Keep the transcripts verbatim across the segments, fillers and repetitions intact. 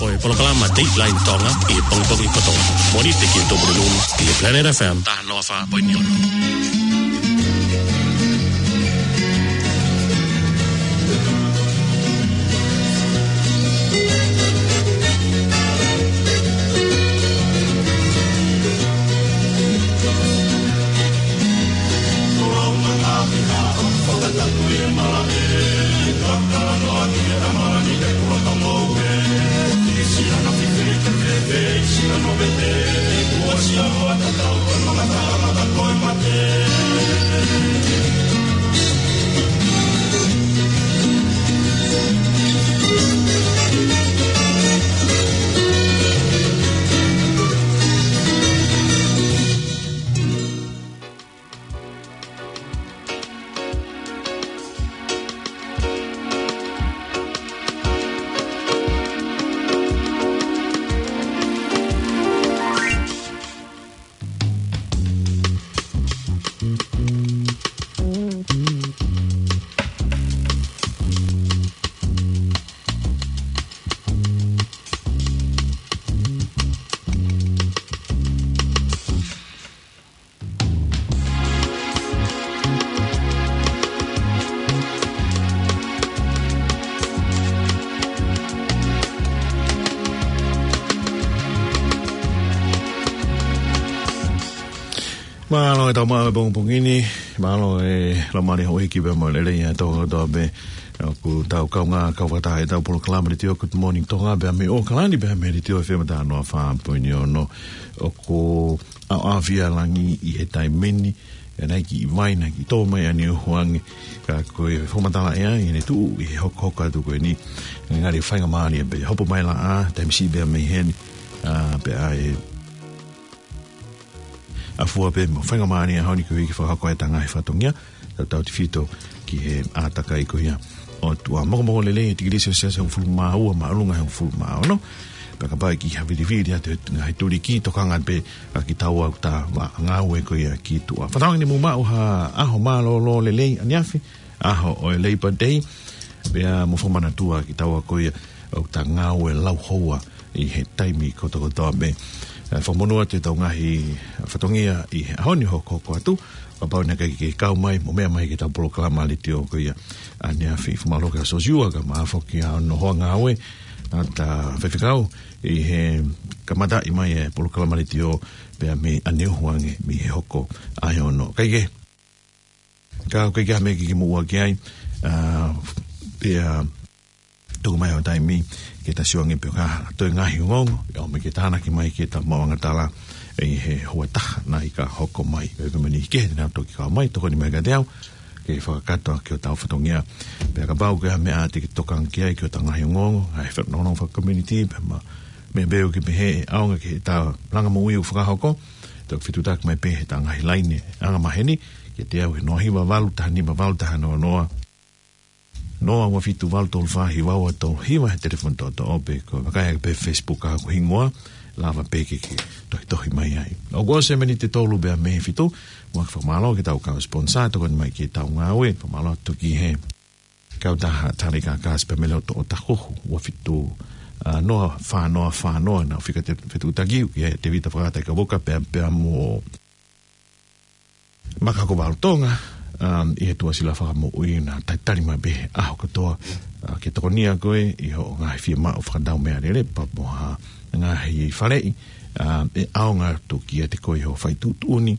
Ko e polokalama Dateline Tonga ʻi he pongipongi kotoa. Mōnite ki he Tuʻapulelulu ʻi he Planet F M taha noa fā poini ono. Mālō e tau maʻu e pongipongi ni, mālō e laumālie houʻeiki pea mo e lelei ʻa e tau kotoa pē, ʻoku tau kaungā kau fakataha ʻi he tau polokalama letiō Good Morning Tonga, pea mei ʻAokalani, pea mei he letiō F M taha noa fā poini ono, ʻoku ʻaoʻaofia e langi ʻi he taimi ni, ʻe naʻe kiʻi vai, naʻe kiʻi tō mai ʻa Niuhuange, ka ko e fakamatala ʻea ʻi heʻene tuʻu ʻi he hokohoko atu ko eni, ngali faingamālie pē, hopo mai laʻā, taimi siʻi pē mei heni, ā, pea ʻe ʻafua pē mo faingamālie ʻaho ni koeʻuhi ke fakahoko ʻetau ngaahi fatongia, tautautefito ki he ʻātakai ko ia ʻo e ʻOtua. Mokomoko lelei e tikilī selesiasi ʻe hongofulu mā ua, māʻolunga ʻe hongofulu mā ono. Pea kapau ʻe kiʻi havilivili atu he ngaahi tuliki, tokanga pē ā kitaua ʻoku ta va ngāue ko ia ki tuʻa. Fakatauange ne mou maʻu ha ʻaho mālōlō lelei ʻaneafi, ʻaho ʻo e Labour Day, pea mo fakamanatua kitaua ko ia ʻoku ta ngāue lauhoua ʻi he taimi kotokotoa pē. Ā, fakamonū atu ʻetau ngaahi fatongia ʻi he ʻaho ni hokohoko atu, kapau naʻe ʻikai ke kau mai mo meʻa mai ki heʻetau polokalama letiō ko ia ʻaneafi. Fakamālō kia Sosiua Kamaafa foki ʻa hono hoa ngāue ʻa e faifekau ʻi he kamataʻi mai e polokalama letiō pea mei ʻa Niuhuange mei he hoko ʻa e ono. Kae kehe, ka ʻoku ʻikai ke ʻi ai ha meʻa ke ke moʻua ki ai, ā, pea tuku mai ʻo taimi ke ta sio ange pe ʻoku ʻi ai ha toe ngaahi ongoongo, ʻe ʻomi ke tānaki mai ke ta maʻu angatala ʻi he houa taha naʻe ʻikai hoko mai. Pea pea mani ke te nau toki kau mai, tokoni mai kiate au ke fakakakato ʻaki hotau fatongia. Pea kapau ʻoku ʻi ai ha meʻa te ke tokanga ki ai ki hotau ngaahi ongoongo, ngaahi fatongia faka-community, pea mo e meʻa pē ʻoku ke pehē ʻe ʻaonga ki heʻetau langa moʻui ʻoku fakahoko, toki fetuʻutaki mai pē heʻetau ngaahi laine angamaheni kiate au he noa hiva valu taha nima valu taha noa noa, noa ua fitu valu tolu fā hiva ua tolu hiva he telefoni toʻotoʻo, pe ko e vakai ake pē Facebook ʻa hoku hingoa, lava pē ke ke tohitohi mai ai. ʻOku ʻosi e miniti ʻe tolu pē mei he fitu, ʻoku ou fakamālō ki heʻetau kau sponsor, tokoni mai ki heʻetau ngāue, fakamālō atu ki he kautaha Tali Kakasi pea mei loto ʻo Takuhu, ua fitu, ā, noa fā noa fā noa, naʻa nau fika te-, fetuʻutaki au ki ai Tēvita Fakata Kavuka pea, pea mo Makako Valu Tonga, um, ʻi he tuʻasila fakamoʻui naʻa talitali mai pē he ʻaho kotoa, ā, ke tokonia koe ʻi hoʻo ngaahi fiemaʻu fakatau meʻalele pea mo ha ngaahi faleʻi, ā, ʻe ʻaonga atu kiate koe ʻi hoʻo fai tuʻutuʻuni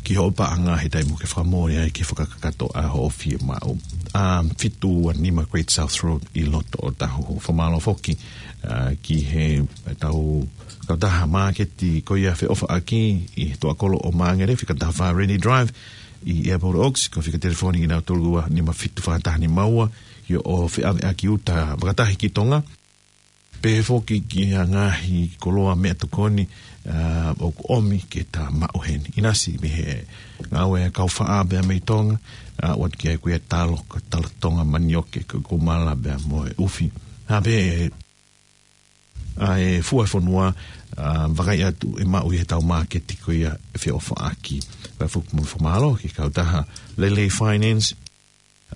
ki hoʻo paʻanga he taimi ʻoku ke fakamole ai ke fakakakato ʻa hoʻo fiemaʻu. Um, fitu ua nima Great South Road ʻi loto ʻo Takuhu. Fakamālō foki, ā, ki heʻetau kautaha māketi ko ia feʻofaʻaki ʻi he toʻakolo ʻo Māngere, fika taha fā Rennie Drive ʻi Airport Oaks, ko e fika telefoni kinautolu ua nima fitu fā taha nima ua, ʻi hoʻo feʻaveʻaki uta fakatahi ki Tonga. Pehē foki ki he ngaahi koloa meʻatokoni, ā, ʻoku ʻomi ke ta maʻu heni. ʻInasi mei he ngāue ʻa e kau faʻa pea mei Tonga, ā, ʻoatu ki ai ko ia e talo, ko e talo Tonga, manioke, ko e kumala pea mo e ʻufi. Hā pē ʻa e fua ʻo e fonua, ā, vakai atu ʻe maʻu ʻi heʻetau māketi ko ia feʻofaʻaki. Pea foki mo e fakamālō ki he kautaha Lele Finance,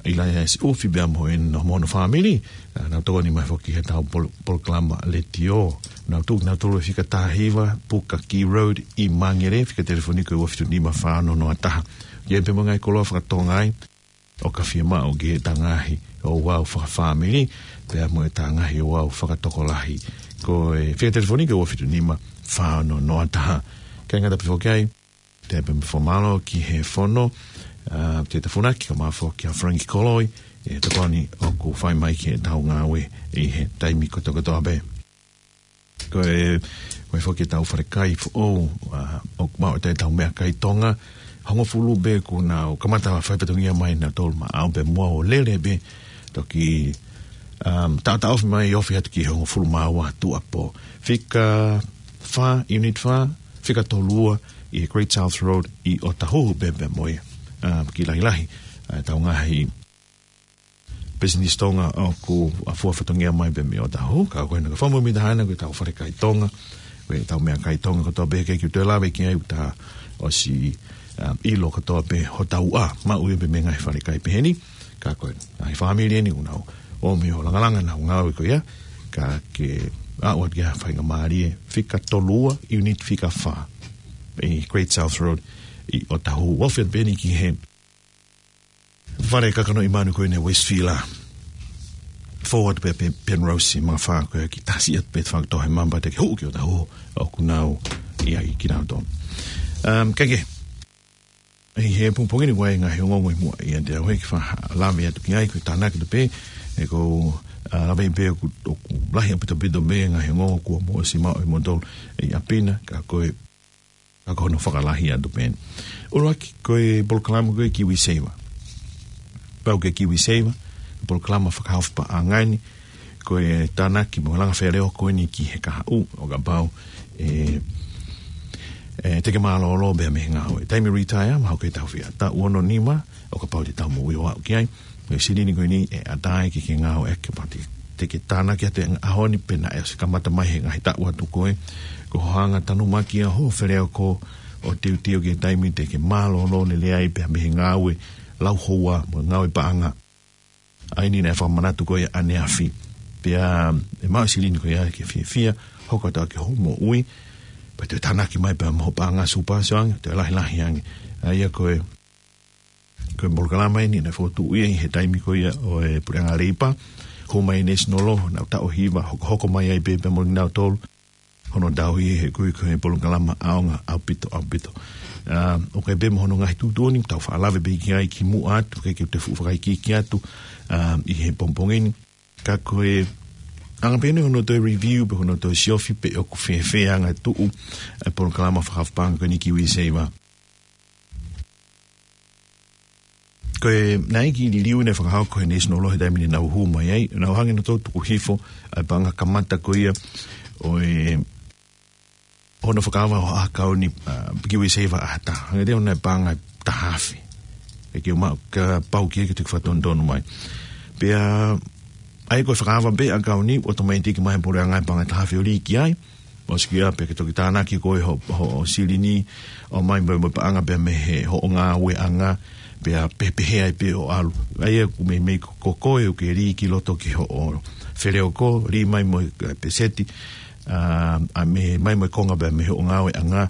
ʻIlaiasi ʻUfi pea mo ʻene, mo hono fāmili, ʻa, nau tokoni mai foki he tau pol-, polokalama letiō. Nau tuku, nau tolu e fika taha hiva, Puka Key Road ʻi Mangere, fika telefoni ko e ua fitu nima fā ono noa taha. ʻI ai pē mo e ngaahi koloa fakatonga ai, ʻo ka fiemaʻu ke ta ngaahi ouau fakafāmili, pea mo e ta ngaahi ouau fakatokolahi. Ko e fika telefoni ko e ua fitu nima fā ono noa taha. Kāinga, tapu foki ai, te pe me fomalo ki he fono, ʻa, te ta funaki ka mafo ki a Frankie Koloi, ʻe tokoni ʻoku fai mai ki he tau ngāue ʻi he taimi kotokotoa pē. Ko e, ko e foki e tau falekai foʻou, ʻa, ʻoku maʻu e tau meʻakai Tonga, hongofulu pē kuo nau kamata fai fatongia mai na tolu ma au pē mua ʻo lele pē, toki, um, ta, ta ofi mai, ofi atu ki hongofulu ma ua tuʻuapō. Fika fā, unit fā, fika tolu ua ʻi Great South Road ʻi Otahuhu pē pea mo e, um, ki lahilahi, ʻa, tau ngaahi business Tonga ʻoku fua fatongia mai pē mei Otahuhu, ka ko ena ka famu mi tahana ko e tau falekai Tonga, ko e tau meʻakai Tonga kotoa pē ke kiu te lave ki ai uta ʻosi, um, ʻilo kotoa pē hotau ʻa, maʻu ia pē mei he ngaahi falekai peheni, ka ko e ngaahi fāmili eni ʻoku nau ō mai ʻo langalanga nau ngāue ko ia, ka ke aʻu atu ki ha faingamālie, fika tolu ua, unit fika fā, ʻi Great South Road, ʻi Otahuhu, ofi atu pē eni ki he fale kakano ʻi Manu ko ena Westfield. Forward pē, pē Penrose, mafā ko e ki tasi atu pē fakato he mamba te ke hū ki Otahuhu ʻoku nau ʻi ai kinautolu. Um, kae kehe, ʻi he pongipongi ni ʻoku ʻi ai e ngaahi ongoongo ʻi muʻa ia te au he ki fa lave atu ki ai, ko e tānaki atu pē, ʻe ko, ʻa, lave pē ʻoku, ʻoku lahi ʻaupito pito pē ngaahi ongoongo kuo mou ʻosi maʻu ʻe moutolu ʻi ʻapi na, ka ko e ka ko hono fakalahi atu pē eni. ʻUluaki, ko e polokalama ko e KiwiSaver. Pau ke KiwiSaver, polokalama fakahaofi paʻanga eni, ko e tānaki mo e langa feleoko eni ki he kahaʻu, ʻo kapau, ʻe, ʻe, te ke mālōlō pē mei he ngāue. Taimi retire, mahalo ko e taʻu fiha, taʻu ono nima, ʻo kapau te tau moʻui ʻo aʻu ki ai. Ko e silini ko eni ʻe ʻatā ai ke ke ngāueʻaki pea te, te ke tānaki atu e ʻaho ni pe naʻe ʻosi kamata mai he ngaahi taʻu atu ko ē. Ko hoʻo hanga ʻo tanumaki ʻa hoʻo feleoko ʻo teuteu ki he taimi te ke mālōlō lelei ai pea mei he ngāue lauhoua mo e ngāue paʻanga. ʻA eni naʻe fakamanatu ko ia ʻaneafi. Pea ʻe maʻu e silini ko ia ke fiefia, hoko atu ki hoʻo moʻui, pea te tānaki mai pea mo hoʻo paʻanga super sio ange, toe lahilahi ange. ʻA ia ko e Ko e polokalama eni naʻe fokotuʻu ia ʻi he taimi ko ia ʻo e Puleʻanga Leipa, ko mai National Law, nau taʻu hiva, hokohoko mai ai pē pea mo kinautolu, hono tauhi he ko e, ko e polokalama ʻaonga ʻaupito, ʻaupito. ʻA, ʻoku ʻi ai pē mo hono ngaahi tuʻutuʻuni, tau faʻa lave pē ki ai kimuʻa atu, ke ke te fuʻu fakaikiiki atu, ʻa, ʻi he pongipongi ni. Ka ko e anga pē eni hono toe review, pe hono toe siofi pe ʻoku fēfē anga tuʻu, ʻa e polokalama fakahaofi paʻanga ko eni KiwiSaver. Ko e naʻe ʻi ai e kiʻi liliu naʻe fakahoko ʻe he National Law he taimi naʻa nau hū mai ai, nau hanga ʻo tuku hifo ʻa e paʻanga kamata ko ia ʻo e hono fakaava ʻo e ʻakauni, ʻa, KiwiSaver ʻa ha taha. Hanga ʻe he ʻo ne paʻanga ʻe taha afe. ʻE ke uma ka pau ki he ke te fakatonutonu mai. Pea ʻa ia ko e fakaava pē ʻakauni, ʻotomaitiki mai he puleʻanga e paʻanga ʻe taha afe ʻo lī ki ai. ʻOsi ko ia pea ke toki tānaki ko ē hoʻo, hoʻo silini, ʻomai mo e, mo e paʻanga pea mei he hoʻo ngāueʻanga, pea pehē pehē ai pē ʻo ʻalu. ʻA ia ʻoku meimei ko, ko koe ʻoku ke lī ki loto ki hoʻo feleoko, lī mai mo e, ʻa, peseti, ʻa, ʻa mei, mai mo e konga pea mei hoʻo ngāueʻanga,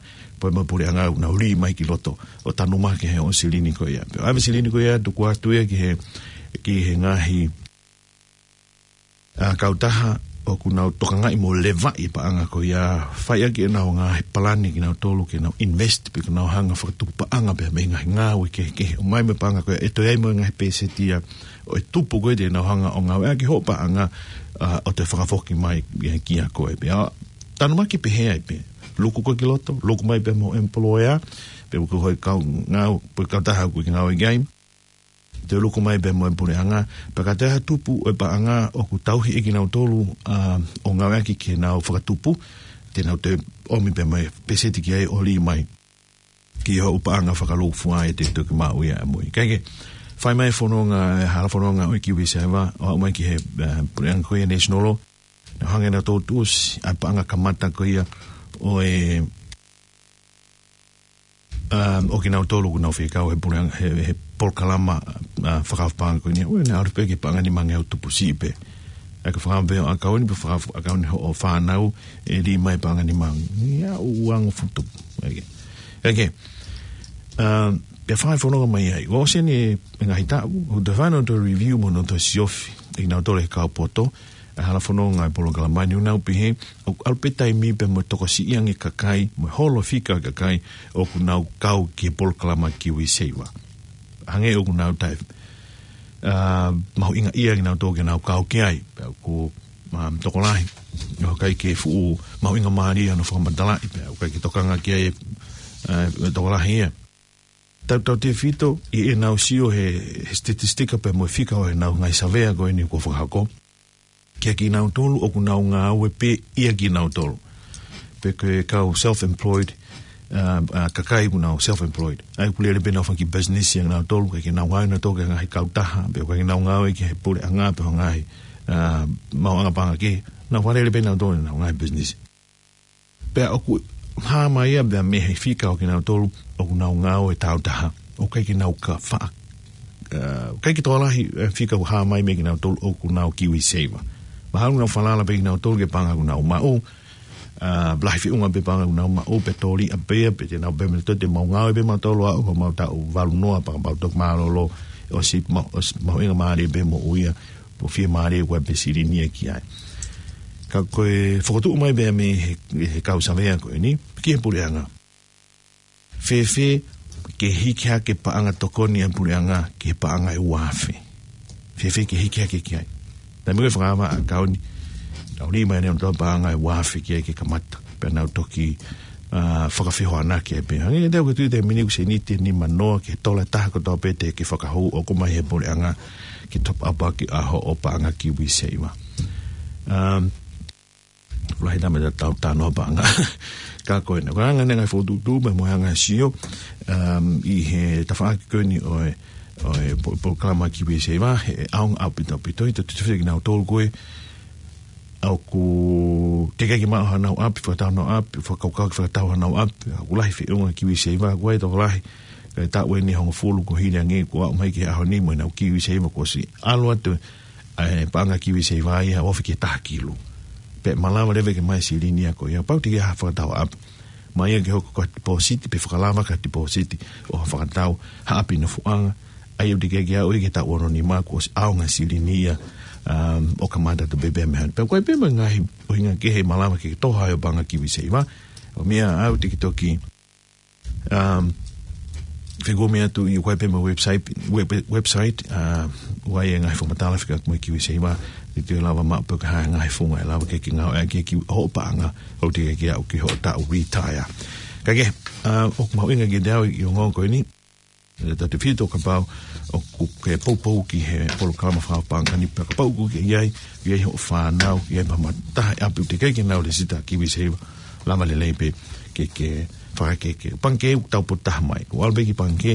pea mo e puleʻanga ʻoku nau lī mai ki loto, ʻo tanumaki he hoʻo silini ko ia. Pea ʻave silini ko ia, tuku atu ia ki he, ki he ngaahi ʻa, kautaha ʻoku nau tokangaʻi mo levaʻi paʻanga ko ia, fai ʻaki ʻenau ngaahi palani kinautolu ke nau invest pe ke nau hanga ʻo fakatupu paʻanga pea mei he ngaahi ngāue kehekehe. ʻOmai mo e paʻanga ko ia, ʻe toe ʻi ai mo e ngaahi peseti ia ʻo e tupu ko ē te nau hanga ʻo ngāueʻaki hoʻo paʻanga, ʻa, ʻo toe fakafoki mai ia kia koe. Pea tanumaki pehē ai pē. Luku koe ki loto, luku mai pē mo e employer, pe ko e kau ngāue, pe ko e kautaha ʻoku ke ngāue ki ai. Te luku mai pē mo e puleʻanga, pea ka toe ʻi ai ha tupu ʻo e paʻanga ʻoku tauhi ʻe kinautolu, ʻa, ʻo ngāueʻaki ke nau fakatupu, te nau toe ʻomi pē mo e peseti ki ai ʻo lī mai ki hoʻo paʻanga fakalūkufua ʻe te toki maʻu ia ʻamui. Kae kehe, fai mai e fononga, e hala fononga ʻo e KiwiSaver, ʻo aʻu mai ki he, ʻa, puleʻanga ko ia National Law, nau hanga ʻo nau tuʻusi ʻa e paʻanga kamata ko ia ʻo e, um, ʻo kinautolu ʻoku nau fekau he puleʻanga, he, he polokalama, ʻa, fakaʻapaʻapa ko eni, ʻoua naʻa ʻalu pē ki he paʻanga ʻe nima ngeau tupu siʻi pē. ʻA e ka fakaʻapaʻapa ʻakauni, pea fakaʻapaʻapa ʻakauni hoʻo fānau, ʻe lī mai paʻanga ʻe nima. Ia, ʻoua ngofulu tupu. ʻOkei. ʻOkei. ʻA, pea fai fononga mai ai. ʻOsi eni e ngaahi taʻu, ʻoku toe fai ʻenau toe review mo ʻenau toe siofi ʻe kinautolu e kau poto, ʻa e hala fononga e polokalama ni, ʻoku nau pehē, ʻoku ʻalu pē taimi pea mo e tokosiʻi ange kakai, mo e holo fika kakai, ʻoku nau kau ki he polokalama KiwiSaver. Hangē ʻoku nau taʻe, ʻa, mahuʻingaʻia kinautolu ke nau kau ki ai, pea ʻoku, ʻa, tokolahi ʻoku ʻikai ke fuʻu mahuʻingamālie hono fakamatalaʻi, pea ʻoku ʻikai ke tokanga ki ai, ʻa, tokolahi ia. Tautautefito ʻi heʻenau sio he, he statistika pea mo e fika ʻo ʻenau ngaahi savea ko eni kuo fakahoko. Kia kinautolu ʻoku nau ngāue pē ia kinautolu. Pe ko e kau self-employed, ʻa, ʻa, kakai ʻoku nau self-employed. ʻA ia ʻoku lele pē ʻenau fanga kiʻi business ia kinautolu, ʻikai ke nau ngāue kinautolu ki he ngaahi kautaha, pe ʻikai ke nau ngāue ki he puleʻanga, pe ko e ngaahi, ʻa, maʻuʻanga paʻanga kehe. Nau fakalele pē kinautolu ʻenau ngaahi business. Pea ʻoku hā mai ia pea mei he fika ʻo kinautolu ʻoku nau ngāue taautaha. ʻOku ʻikai ke nau ka faʻa, ʻa, ʻikai ke tokolahi e fika ʻoku hā mai mei kinautolu ʻoku nau KiwiSaver. Mahalo ʻoku nau falala pē kinautolu ki he paʻanga ʻoku nau maʻu. ʻA, lahi feʻunga pē paʻanga ʻoku nau maʻu, pea tōliʻa pē ia, pea te nau pehē mai, toe te mau ngāue pē mautolu ʻo aʻu ki he mau taʻu valu noa pea mau toki mālōlō, ʻosi ma-, ʻosi mahuʻingamālie pē moʻui ia, ʻoku fiemālie ʻoku ʻi ai pē silini ia ki ai. Ka ko e fokotuʻu mai pē mei he, he kau savea ko eni, ki he puleʻanga. Fēfē ke hiki hake paʻanga tokoni ʻa e puleʻanga ki he paʻanga ʻe ua afe. Fēfē ke hiki hake ki ai. Taimi ko ē fakaʻapaʻapa ʻakauni, nau lī mai ʻenau paʻanga ʻe ua afe ki ai ke kamata. Pea nau toki, ʻa, fakafehoanaki ai pē. Hangē te u ka tui te mini ku seniti ʻe nima noa ki he tola ʻe taha kotoa pē te ke fakahū ʻoku ʻomai he puleʻanga ke top up ʻaki ʻa hoʻo paʻanga KiwiSaver. Um, lahi tama ta tau tano paʻanga. Ka ko ena, ko e anga ʻeni e ngaahi fokotuʻutuʻu pea mo e anga e sio, um, ʻi he tafaʻaki ko eni ʻo e, ʻo e po-, polokalama KiwiSaver, he ʻaonga ʻaupito ʻaupito, ʻi he tautefito kinautolu ko ē ʻoku teʻeki ke maʻu hanau ʻapi, fakatau hanau ʻapi, fakakaukau ke fakatau hanau ʻapi, ʻoku lahi feʻunga KiwiSaver, ʻoku ʻi ai e tokolahi, ka ʻi he taʻu ʻeni ʻe hongofulu kuo hili ange, kuo aʻu mai ki he ʻaho ni mo ʻenau KiwiSaver, kuo ʻosi ʻalu atu ʻa e paʻanga KiwiSaver ia ʻo ofi ki he taha kilu. Pea malava leva ke ʻomai e silini ia ko ia, kapau te ke ʻai ha fakatau ʻapi. Mai ia ke hoko ko ha tipōsiti, pe fakalava ki ha tipōsiti ʻo ha fakatau ha ʻapi nofoʻanga. ʻA ia ʻoku teʻeki ke aʻu ia ki he taʻu ono nima kuo ʻosi ʻaonga e silini ia, um, ʻo kamata atu pē pea mei ai. Pea ʻoku ʻi ai pē mo e ngaahi ʻuhinga kehe ʻe malava ke ke toho ai hoʻo paʻanga KiwiSaver. ʻO meʻa ʻoku te ke toki, um, fekumi atu ʻi, ʻoku ʻi ai pē mo e website, web-, website, uh, ʻoku ʻi ai e ngaahi fakamatala fekauʻaki mo e KiwiSaver, ʻe toe lava maʻu pē ha ngaahi founga ʻe lava ke ke ngāueʻaki ki hoʻo paʻanga, ʻo teʻeki ke aʻu ki hoʻo taʻu retire. Ka ke, uh, ʻoku mahuʻinga kiate au ʻi he ongo ko eni, ʻe tautefito kapau ʻoku ke poupou ki he polokalama fakaʻapaʻapa ni pea kapau ʻoku ke ʻi ai, ʻi ai hoʻo fānau, ʻi ai pē ha taha ʻi ʻapi ʻoku teʻeki ke nau lēsisita KiwiSaver, lava lelei pē ke, ke fakakeke. Pangikē ʻoku tau potu taha mai. ʻOku ʻalu pē ki pangikē,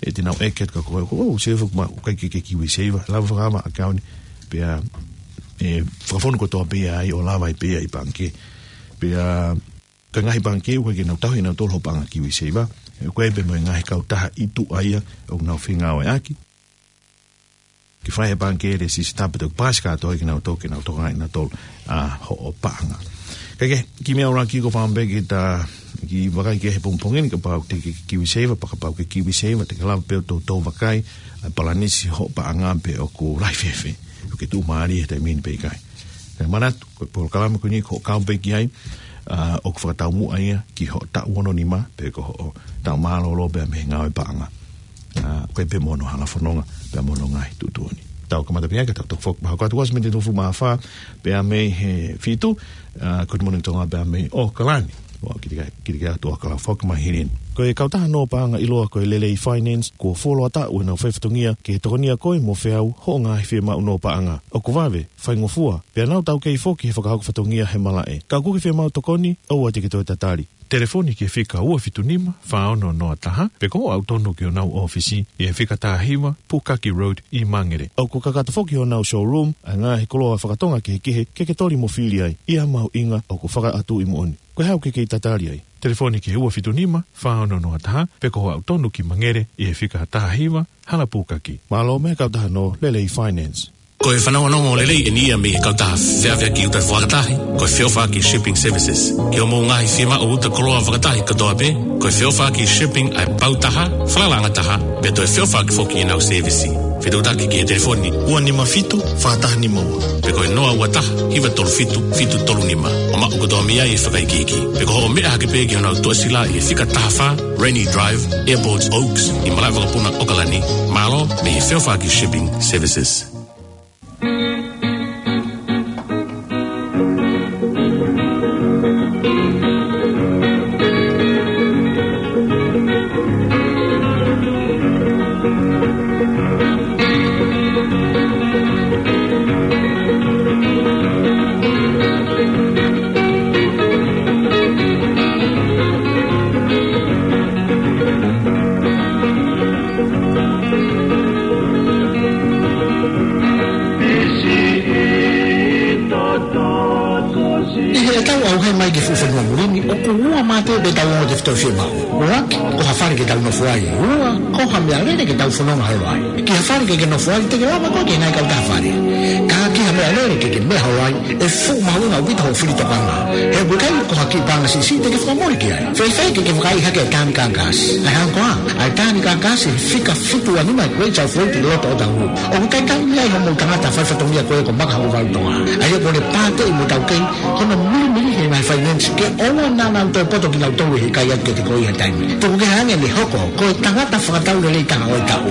ʻe te nau ʻeke atu kia koe, ʻoku, ʻoku save ʻoku ma-, ʻoku ʻikai ke ke KiwiSaver, lava fakava ʻakauni, pea, ʻe, fakafonu kotoa pē ai, ʻo lava ai pē ʻi pangikē. Pea, ka ngaahi pangikē ʻoku ʻikai ke nau tauhi ʻe nautolu hoʻo paʻanga KiwiSaver, ʻoku ʻi ai pē mo e ngaahi kautaha ʻi tuʻa ia ʻoku nau fengāueʻaki. Ke fai e pangikē lēsisita pea toki paasi kātoa kinautolu ke nau tokangaʻi ʻe nautolu ʻa hoʻo paʻanga. Ka ke, kiʻi meʻa ʻuluaki ko e fakaʻamu pē ke ta kiʻi vakai ki he pongipongi ni kapau te ke KiwiSaver, pea kapau ke KiwiSaver, te ke lava pē ʻo toutou vakai ʻa e palanisi hoʻo paʻanga pe ʻoku lahi fēfē. ʻOku ke tuʻumālie he taimi ni pe ʻikai. Kae manatu, ko e polokalama ko eni ko e kau pē ki ai, ʻa, ʻoku fakataumuʻa ia ki hoʻo taʻu ono nima, pe ko hoʻo taʻu mālōlō pea mei he ngāue paʻanga. ʻA, ʻoku ʻi ai pē mo hono hala fononga, pea mo hono ngaahi tuʻutuʻuni. Tau kamata pē ai ka tau toki foki mai. Ko e ʻoatu kuo ʻosi miniti ʻe hongofulu mā fā, pea mei he fitu, ʻa, Good Morning Tonga pea mei ʻAokalani. ʻOku kiʻi, kiʻi ʻoatu ʻAokalani foki mai hili eni. Ko e kautaha nō paʻanga ʻiloa ko e Lelei Finance, kuo fuoloa taʻu ʻenau fai fatongia ke tokonia koe mo feau hoʻo ngaahi fiemaʻu nō paʻanga. ʻOku vave, faingofua, pea nau taukei foki he fakahoko fatongia he malaʻe. Ka ʻoku ke fiemaʻu tokoni, ʻoua te ke toe tatali. Telefoni ki he fika ua fitu nima, fā ono noa taha, pe ko hoʻo aʻu tonu ki honau ʻōfisi, ʻi he fika taha hiva, Pukaki Road, ʻi Mangere. ʻOku kakato foki honau showroom, ʻa e ngaahi koloa fakatonga kehekehe, ke ke toli mo fili ai, ʻi ha mahuʻinga ʻoku fakaʻatuʻi moʻoni. Ko e hā ʻoku ke kei tatali ai? Telefoni ki he ua fitu nima, fā ono noa taha, pe ko hoʻo aʻu tonu ki Mangere ʻi he fika taha hiva, Hala Pukaki. Mālō mo e kautaha no Lelei Finance. Ko e fanongonongo lelei eni ia mei he kautaha feʻaveʻaki uta fakatahi, ko e Feʻofaʻaki Shipping Services. Ki hoʻomou ngaahi fiemaʻu uta koloa fakatahi kotoa pē, ko e Feʻofaʻaki Shipping ʻa e pau taha, falala angataha, pea toe feʻofaʻaki foki ʻenau sēvisi. Fetuʻutaki ki he telefoni ua nima fitu, fā taha nima ua. Pe ko e noa ua taha, hiva tolu fitu, fitu tolu nima. ʻO maʻu kotoa mei ai e fakaikiiki. Pe ko hoʻo meʻa hake pē ki honau tuʻasila ʻi he fika taha fā, Rainy Drive, Airport Oaks, ʻi Malaʻevakapuna, ʻOkalani. Mālō mei he Feʻofaʻaki Shipping Services. ʻI heʻetau ʻauhē mai ki he fuʻu fonua muli ni, ʻoku ua mā pē ʻetau ongo tefitoʻi fiemaʻu. ʻUluaki, ko ha fale ke tau nofo ai. Ua, ko ha meʻalele ke tau fononga holo ai. Ki ha fale ke ke nofo ai, te ke lava koe ke ngai kau taha fale. Ka ki ha meʻalele ke ke meʻa holo ai, ʻe fuʻu mahuʻinga ʻaupito hoʻo fili tokanga. He ʻoku ʻikai ko ha kiʻi paʻanga siʻisiʻi te ke fakamole ki ai. Fēfē ke ke vakaiʻi hake e Tānika Gas? ʻA e hā koā, ʻa e Tānika Gas he fika fitu ua nima Great South Road ʻi loto ʻo Otahuhu. ʻOku ʻikai ke ʻi ai hoʻomou tangata faifatongia ko ē ko Maka Hokovalu Tonga. ʻA ia ko ʻene pāteʻi mo taukehi hono milimili he ngaahi finance ke ʻoua naʻa nau toe poto kinautolu he ʻikai atu kiate koe ha taimi. Tuku kehe ange ʻene hoko ko e tangata fakatau lelei taha ʻo e taʻu.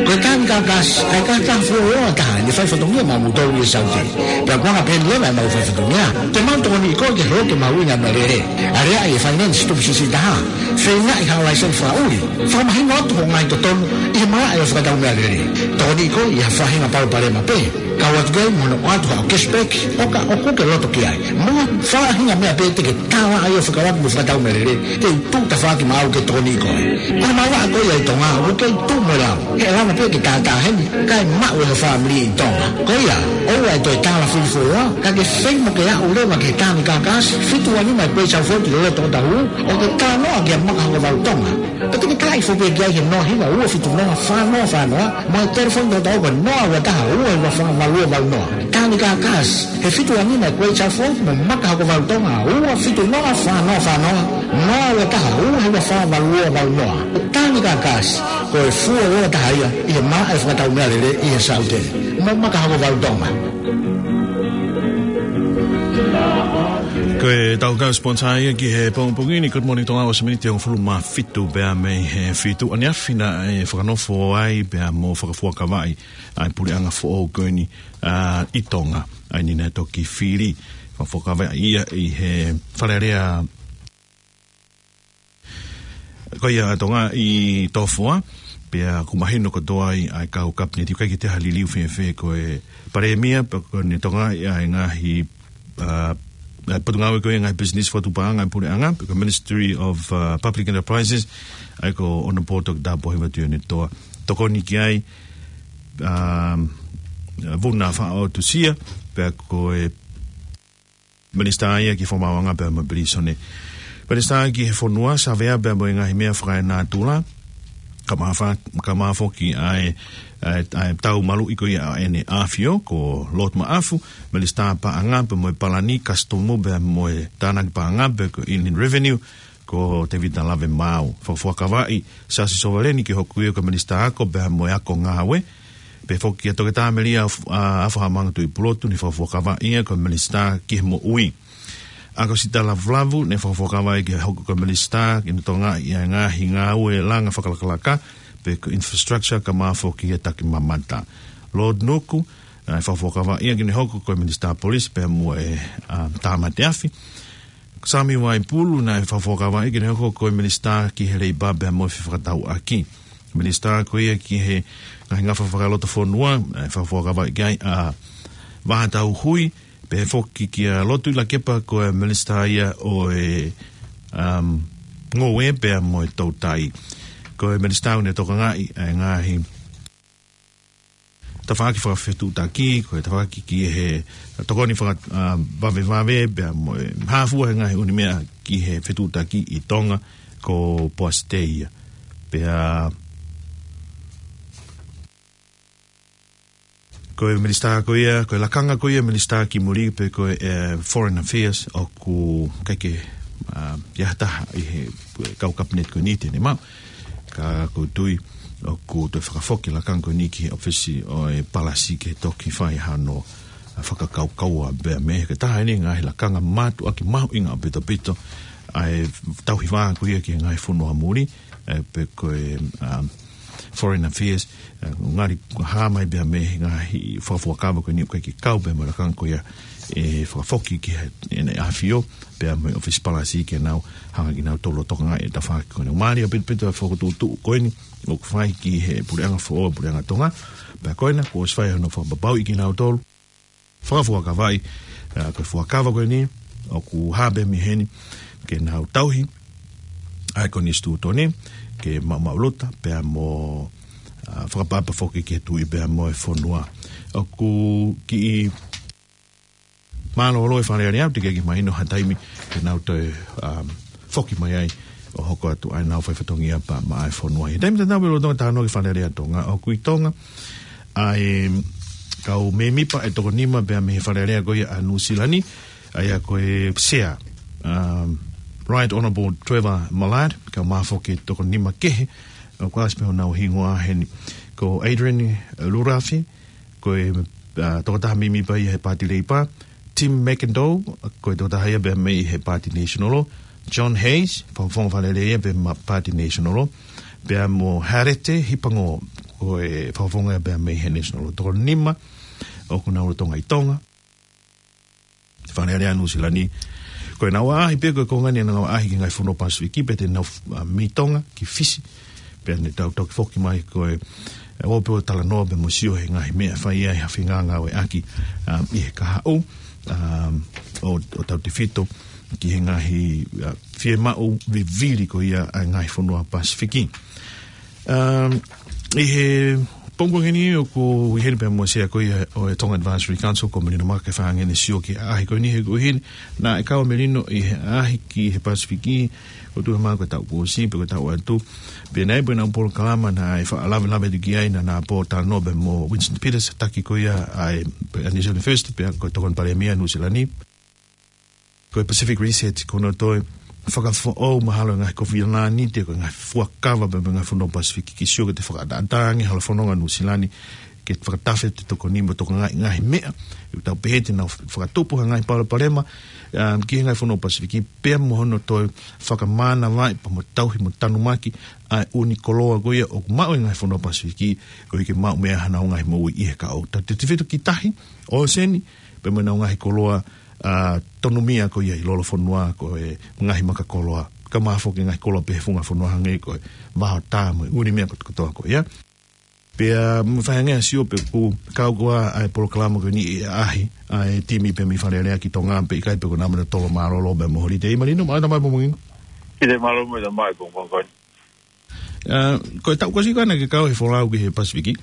Ko e Tānika Gas, ʻa e kautaha fuoloa taha ʻene faifatongia maʻamoutolu ʻi Saute. Pea ko e anga pē ʻeni leva ʻemau faifatongia, te mau tokoniʻi koe ke hoko e mahuʻinga ʻo e meʻalele. ʻAleaʻi e finance tupu siʻisiʻi taha. Feingaʻi haʻo laiseni fakaʻuli. Fakamahino atu hoʻo ngaahi totonu ʻi he malaʻe ʻo e fakatau meʻalele. Tokoniʻi koe ʻi ha faʻahinga palopalema pē. Kau atu ki ai mo hono ʻoatu haʻo cashback, ʻo ka ʻoku ke loto ki ai. Mo ha faʻahinga meʻa pē te ke tālaʻa ai ʻo fekauʻaki mo e fakatau meʻalele, te u tuʻu tafaʻaki maʻau ke tokoniʻi koe. Ko e malanga ko ia ʻi Tonga, ʻoku kei tuʻu mo e lau. He ʻe lava pē ke tātā heni, kae maʻu ʻe ho fāmili ʻi Tonga. Ko ia, ʻoua ʻe toe tālafili fuoloa, ka ke feinga ke aʻu leva ki he Tānika Gas, fitu ua nima Great South Road ʻi loto ʻo Otahuhu, ʻo ke talanoa kia Maka Hokovalu Tonga. Pea te ke talaʻi foki pē ki ai he noa hiva ua fitu noa fā noa fā noa, mo e telefoni tautau ko e noa ua taha ua hiva fā valu ua valu noa. Tānika Gas, he fitu ua nima Great South Road, mo Maka Hokovalu Tonga, ua fitu noa fā noa fā noa, noa ua taha ua hiva fā valu ua valu noa. Tānika Gas, ko e fuoloa taha ia ʻi he malaʻe fakatau meʻalele ʻi he Saute. Mo Maka Hokovalu Tonga. Ko e tau kau sponsor ia ki he pongipongi ni, Good Morning Tonga, ʻosi miniti hongofulu mā fitu pea mei he fitu ʻaneafi naʻe fakanofo ai pea mo fakafuakavaʻi ʻa e puleʻanga foʻou ko eni, ʻa, ʻi Tonga. ʻA eni naʻe toki fili, fakafuakavaʻi ia ʻi he Fale Alea ko ia ʻa Tonga ʻi Tofoa, pea ʻoku mahino kotoa ai ʻa e kau kapineti, ʻikai ke toe liliu fēfē ko e Palēmia, pea ko ʻene tokangaʻi ʻa e ngaahi, ʻa, ʻa e potungāue ko ia ngaahi pisinisi fakatuʻupaʻanga ʻa e puleʻanga, pea ko e Ministry of, ʻa, Public Enterprises, ʻa ia ko Honourable Toketā Pōhiva Tuʻiʻonetoa. Tokoni ki ai, ʻa, Vuna Faʻaotusia, pea ko e Minisitā ia ki he Fakamaauʻanga pea mo e Pilīsone. Minisitā ki he Fonua, Savea pea mo e ngaahi meʻa fakaenatula. Kae ʻumaʻā, kae ʻumaʻā foki ʻa e, ʻa e, ʻa e tau maluʻi ko ia ʻa ʻEne ʻAfio, ko Lord Maʻafu, Minisitā Paʻanga pea mo e Palani, Kasitomu pea mo e Tānaki Paʻanga pea ko e Inland Revenue, ko Tevita Lavemaau. Fakafuakavaʻi, Siaosi Sovaleni ke hoko ia ko e Minisitā Ako pea mo e Ako Ngāue. Pehē foki kia Toketā Melia Af-, ʻa, Afahamanga Tuʻipulotu, ne fakafuakavaʻi ia ko e Minisitā ki he Moʻui. ʻAkosita Lavulavu, ne fakafuakavaʻi ke hoko ko e Minisitā ki he Tonga ʻi he ngaahi ngāue langa fakalakalaka, pe ko e infrastructure kae ʻumaʻā foki e takimamata. Lord Nuku, ʻa, fakafuakavaʻi ia ke ne hoko ko e Minisitā Polisi pea mo e, ʻa, Tāmate Afi. Sami Vaipulu, naʻe fakafuakavaʻi ke ne hoko ko e Minisitā ki he Leipa pea mo e Fefakatauʻaki. Minisitā ko ia ki he ngaahi ngafa fakalotofonua, naʻe fakafuakavaʻi ki ai ʻa Vahatau Hui, pehē foki kia Lotu Lakepa ko e Minisitā ia ʻo e, um, Ngoue pea mo e Toutai. Ko e Minisitā ʻoku ne tokangaʻi ʻa e ngaahi tafaʻaki fakafetuʻutaki, ko e tafaʻaki ki he tokoni faka-, ā, vavevave, pea mo e hā fua he ngaahi ʻū meʻa ki he fetuʻutaki ʻi Tonga, ko Poasi Tei ia. Pea ko e minisitā ko ia, ko e lakanga ko ia minisitā ki muli pe ko e, ē, Foreign Affairs ʻoku ʻikai ke, ā, ʻi ai ha taha ʻi he kau kapineti ko eni te ne maʻu. Ka ʻoku ou tui ʻoku toe fakafoki lakanga ko eni ki he ʻōfisi ʻo e palasi ke toki fai hano, ā, fakakaukaua pea mei he taha eni ngaahi lakanga mātuʻaki mahuʻinga ʻaupito ʻaupito ʻa e tauhi vā ko ia ki he ngaahi fonua muli, ē, pe ko e, ā, Foreign Affairs, ē, ngali hā mai pea mei he ngaahi fakafuakava ko eni ʻoku ʻikai ke kau pea mo e lakanga ko ia ʻe fakafoki ki he, ʻEne ʻAfio, pea mo e ʻōfisi palasi ke nau hanga kinautolu ʻo tokangaʻi e tafaʻaki ko eni. Mālie ʻaupito ʻaupito e fokotuʻutuʻu ko eni ʻoku fai ki he puleʻanga foʻou, puleʻanga Tonga, pea ko ena kuo ʻosi fai hono fakapapauʻi kinautolu, fakafuakavaʻi, ā, ko e fuakava ko eni ʻoku hā pē mei heni ke nau tauhi ʻa e konisitūtone, ke maʻumaʻuluta pea mo, ā, fakaʻapaʻapa foki ki he tuʻi pea mo e fonua. ʻOku kiʻi mālōlō e Fale Alea, teʻeki ke mahino ha taimi ke nau toe, ā, foki mai ai ʻo hoko atu ai ʻenau fai fatongia pea maʻa e fonua. ʻI he taimi tatau pē lolotonga e talanoa ki he Fale Alea Tonga, ʻoku ʻi Tonga ʻa e kau mēmipa ʻe toko nima pea mei he Fale Alea ko ia ʻa Nuʻusila ni, ʻa ia ko e Sea, um, Right Honourable Trevor Mallard, kae ʻumaʻā foki e toko nima kehe, ʻoku ʻasi pē honau hingoa heni. Ko Adrian Lurafi, ko e, ā, tokotaha mēmipa ia he Paati Leipa, Tim McIntyre, ko e tokotaha ia pea mei he Paati National, John Hayes, fakafofonga Fale Alea ia pea mei he Paati National, pea mo Harete Hipango, ko e fakafofonga ia pea mei he National. Toko nima ʻoku nau lolotonga ʻi Tonga, Fale Alea Nuʻusila ni. Ko ʻenau ʻaʻahi pē ko e konga ni ʻenau ʻaʻahi ki he ngaahi fonua Pasifiki, pea te nau, ā, mei Tonga ki Fisi, pea ne tau toki foki mai ko e, ē, ō pē ʻo talanoa pea mo sio he ngaahi meʻa ʻe fai ai ha fengāngāueʻaki, ā, ʻi he kahaʻu, ā, ʻo, ʻo tautefito ki he ngaahi, ā, fiemaʻu vivili ko ia ʻa e ngaahi fonua Pasifiki. Um, ʻi he pongipongi ni ʻoku ʻi heni pea mo e Sea ko ia ʻo e Tonga Advisory Council, ko Melino Maka, ke fai ange ʻene sio ki he ʻaʻahi ko eni he ko eni. Naʻe kau ʻa Melino ʻi he ʻaʻahi ki he Pasifiki, ʻoku tuʻu he mā ko e taʻu kuo ʻosi, pe ko e taʻu atu. Pea naʻe ʻi ai pē ʻenau polokalama naʻe faʻa lavelave atu ki ai, naʻa na pōtalanoa pea mo Winston Peters, taki ko ia ʻa e, ʻa e New Zealand First, pea ko e Tokoni Palēmia Nuʻusila ni. Ko e Pacific Reset, ko hono toe fakafoʻou mahalo e ngaahi kofilanite, ko e ngaahi fuakava pea mo e ngaahi fonua Pasifiki, ke sio ki he fakaʻataʻatā ange holo fononga Nuʻusila ni, ke fakatafe ʻa e tokoni mo tokangaʻi e ngaahi meʻa ʻoku tau pehē te nau fakatupu ha ngaahi palopalema, um, ki he ngaahi fonua Pasifiki, pea mo hono toe fakamānavaʻi pea mo tauhi mo tanumaki ʻa e ʻū koloa ko ia ʻoku maʻu ʻe he ngaahi fonua Pasifiki, koeʻuhi ke maʻu mei ai haʻanau ngaahi moʻui ʻi he kahaʻu. Tautefito ki he tahi, ʻōseni, pea mo ʻenau ngaahi koloa, ā, tonumia ko ia ʻi lolofonua, ko e ngaahi maka koloa, kae ʻumaʻā foki e ngaahi koloa pē he funga fonua hangē ko e vahaʻa ʻo tā mo e ʻū meʻa kotoa ko ia. Pea mou fai ange ʻa e sio pe ʻoku kau koā ʻa e polokalama ko eni ʻi he ʻaʻahi ʻa e timi pea mei Fale Alea ki Tonga pe ʻikai, pe ko e naʻa mou tolo mālōlō pea mo e holitei. Melino, mālō e tama mo Mungino. ʻIo, mālō mo e tama ko Mungino. Ā, ko e taʻu kuo ʻosi ko ē naʻa ke kau he folau ki he Pasifiki.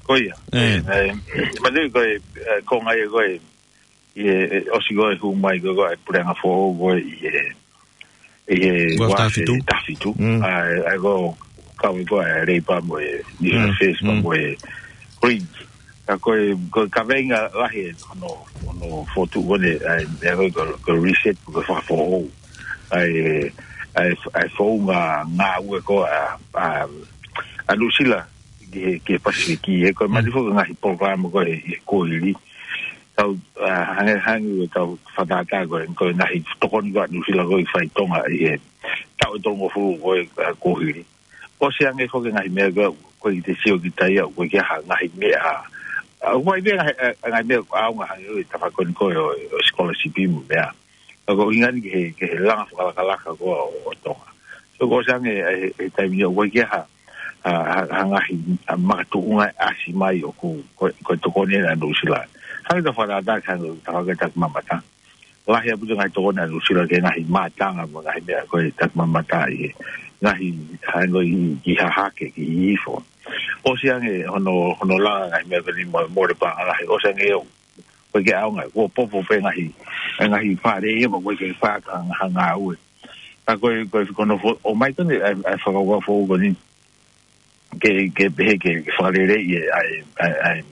Ko ia. Ē. Ē, ē, manatuʻi ko e, ē, konga ia ko ē, ʻi he, ē, ʻosi ko ē hū mai ko ē ko e puleʻanga foʻou ko ē ʻi he, ʻi he Uafu Taha Fitu. Taha Fitu. Mm. ʻA e, ʻa e ko e kau ko ē Leipa mo e New Zealand Mm, First, mm. mo e Greens. Ka ko e, ko e kaveinga lahi ʻo hono, hono fokotuʻu ko eni, ʻa e, ʻa e ko e, ko e reset, ko e fakafoʻou. ʻA e, ʻa e, ʻa e founga ngāue ko ē ʻa, ʻa, ʻa Nuʻusila ki he, ki he Pasifiki, he ko e Mm. mali foki e ngaahi polokalama ko ē he kuohili. Tau, ā, hangē, hangē ʻoku tau fakatātā ko ē, ko e ngaahi tokoni ko ē ʻa Nuʻusila ko ē ʻi fai ʻi Tonga ʻi he taʻu ʻe tolungofulu ko ē, ā, kuohili. ʻOsi ange foki e ngaahi meʻa ko ē, ko e te sio ki ai, ʻoku ʻikai ha ngaahi meʻa. ʻA, ʻoku ʻi ai pē ngaahi, ā, ngaahi meʻa ʻaonga hangē ko e tafaʻaki ko ē ʻo, ʻo scholarship mo e meʻa. Ka ko e ʻuhinga eni ki he, ki he langa fakalakalaka ko ē ʻo, ʻo Tonga. So, kuo ʻosi ange, ā, he, he taimi ni ʻoku ʻikai ha, ha, ha, ha ngaahi, ā, makatuʻunga ʻasi mai ʻoku, ko, ko e tokoni ʻa Nuʻusila. Hangē ko e fakatātā, hangē ko e tafaʻaki takimamata. Lahi ʻaupito e ngaahi tokoni ʻa Nuʻusila ki he ngaahi mātanga mo e ngaahi meʻa ko ē takimamata ʻi he ngaahi, hangē ko e ʻi, ʻi Hahake, ki Hihifo. ʻOsi ange hono, hono langa ngaahi meʻa ko eni mo, mole paʻanga lahi. ʻOsi ange ʻoku ʻikai ke ʻaonga, kuo popo pē ngaahi, ngaahi fale ia, ʻoku ʻikai ke faka ngaahi ngāue. Ka ko e, ko e, ko hono fo-, ʻomai ko eni, ʻa e, ʻa e fakakaukau foʻou ko eni, ke, ke pehē ke, ke fakaleleiʻi e, ʻa e, ʻa e, ʻa e,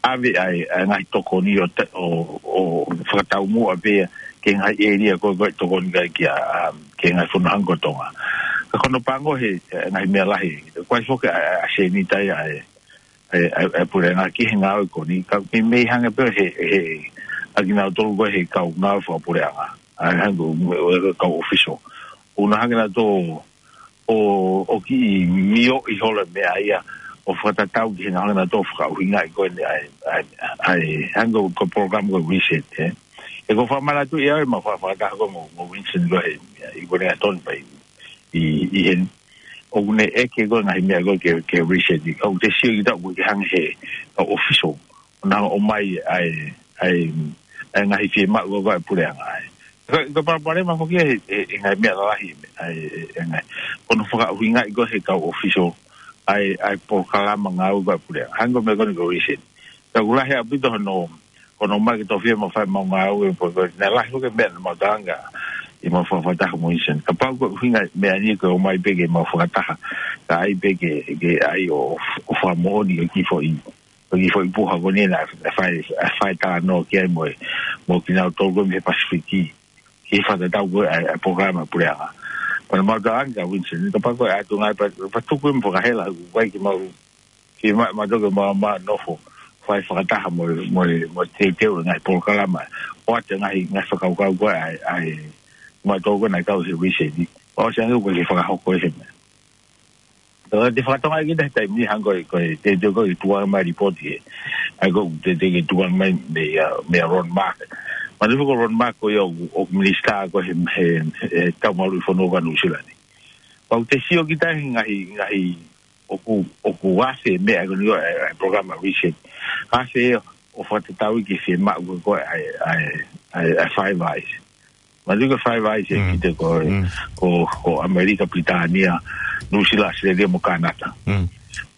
ʻave ʻa e, ʻa e ngaahi tokoni ʻo ta-, ʻo, ʻo fakataumuʻa pē ia ki he ngaahi ʻēlia ko ē, ko ē tokoni ki ai ki a, a, ki he ngaahi fonua hangē ko Tonga. Ka ko hono pango he, e, ngaahi meʻa lahi, ko e foki ʻa e, ʻa e seniti ia ʻa e, ʻa e, ʻa e, ʻa e puleʻanga ki he ngāue ko eni, ka mei, mei hanga pē he, he, ʻa kinautolu ko ē he kau ngāue fakapuleʻanga. ʻA e hangē ko e, e, kau ʻōfisa. ʻOku nau hanga nautolu ʻo, ʻo kiʻi mioʻi holo e meʻa ia, ʻo fakatatau ki he ngaahi hanga nautolu ʻo fakaʻuhingaʻi ko eni ʻa e, ʻa e, ʻa e, hangē ko e polokalama ko e reset, ē. He ʻoku ou fakamanatu ia ʻe au ʻemau fa-, fakataha ko ē mo, mo Winston ko ē he, ʻi Wellington pē ʻi, ʻi heni. ʻOku ne ʻeke ko ē ngaahi meʻa ko ē ke, ke reset ʻi. Ka ʻoku te sio ki taʻu ko ē ke hanga he, kau ʻōfisa. ʻO nau ʻomai ʻa e, ʻa e, ʻa e ngaahi fiemaʻu ko ē ʻa e puleʻanga ē. Ko, ko e palopalema foki ʻe, ʻe, ʻe ngaahi meʻa lalahi, ʻa e, ʻe, ʻe ngaahi. Ko hono fakaʻuhingaʻi ko ē he kau ʻōfisa, ʻa e, ʻa e polokalama ngāue ko ē ʻa e puleʻanga. Hangē ko e meʻa ko eni ko e reset. Ka ʻoku lahi ʻaupito hono, hono ʻomai ke tofiʻa mo fai ʻemau ngāue, pea ko e, naʻe lahi foki e meʻa naʻa mau talanga, ʻi heʻemau fakataha mo Winston. Kapau ko e ʻuhinga e meʻa ni ko e ʻomai pē ke mau fakataha, ka ʻai pē ke, ke ʻai ʻo, ʻo fakamoʻoni ʻa e kiʻi foʻi, ʻa e kiʻi foʻi puha ko eni naʻe, naʻe fai, naʻe fai talanoa ki ai mo e, mo kinautolu ko ē mei he Pasifiki. Ki he fakatatau ko ē ʻa e, ʻa e polokalama puleʻanga. Pea naʻa mau talanga kia Winston, kapau ko e ʻatu ngāue pea, pea tuku ē mo fakahela, ʻoku ʻikai ke mau, ke ma, ma toki ma, ma nofo, fai fakataha mo, mo, mo teuteu e ngaahi polokalama. ʻOatu e ngaahi, ngaahi fakakaukau ko ē ʻa e, ʻa e, ma toki naʻe kau he reset. ʻOsi ange ʻoku ʻikai ke fakahoko ʻe he meʻa. Ka te fakatonga ki he taimi ni hangē ko e, ko e, te, te ko e tuʻu mai lipooti ē. ʻA ia ko e, te, te ke tuʻu mai mei, ʻa, mei a Ron Mark. Manatuʻi ko Ron Mark ko ia ʻoku, ʻoku minisitā ko ē he, he, he tau maluʻi fonua ko ē ʻa Nuʻu Sila ni. Pea ʻoku te sio ki tahi ngaahi, ngaahi, ʻoku, ʻoku ʻasi e meʻa ko eni ʻo e, e, polokalama reset. ʻAsi ʻo fakatatau ki he fiemaʻu ko ē ʻa e, ʻa e, ʻa e, ʻa e Five Eyes. Manatuʻi ko e Five Eyes ē, Mm. ki he ko, Mm. ko, ko ʻAmelika, Pilitānia, Nuʻu Sila, ʻAositelēlia mo Kānata. Mm.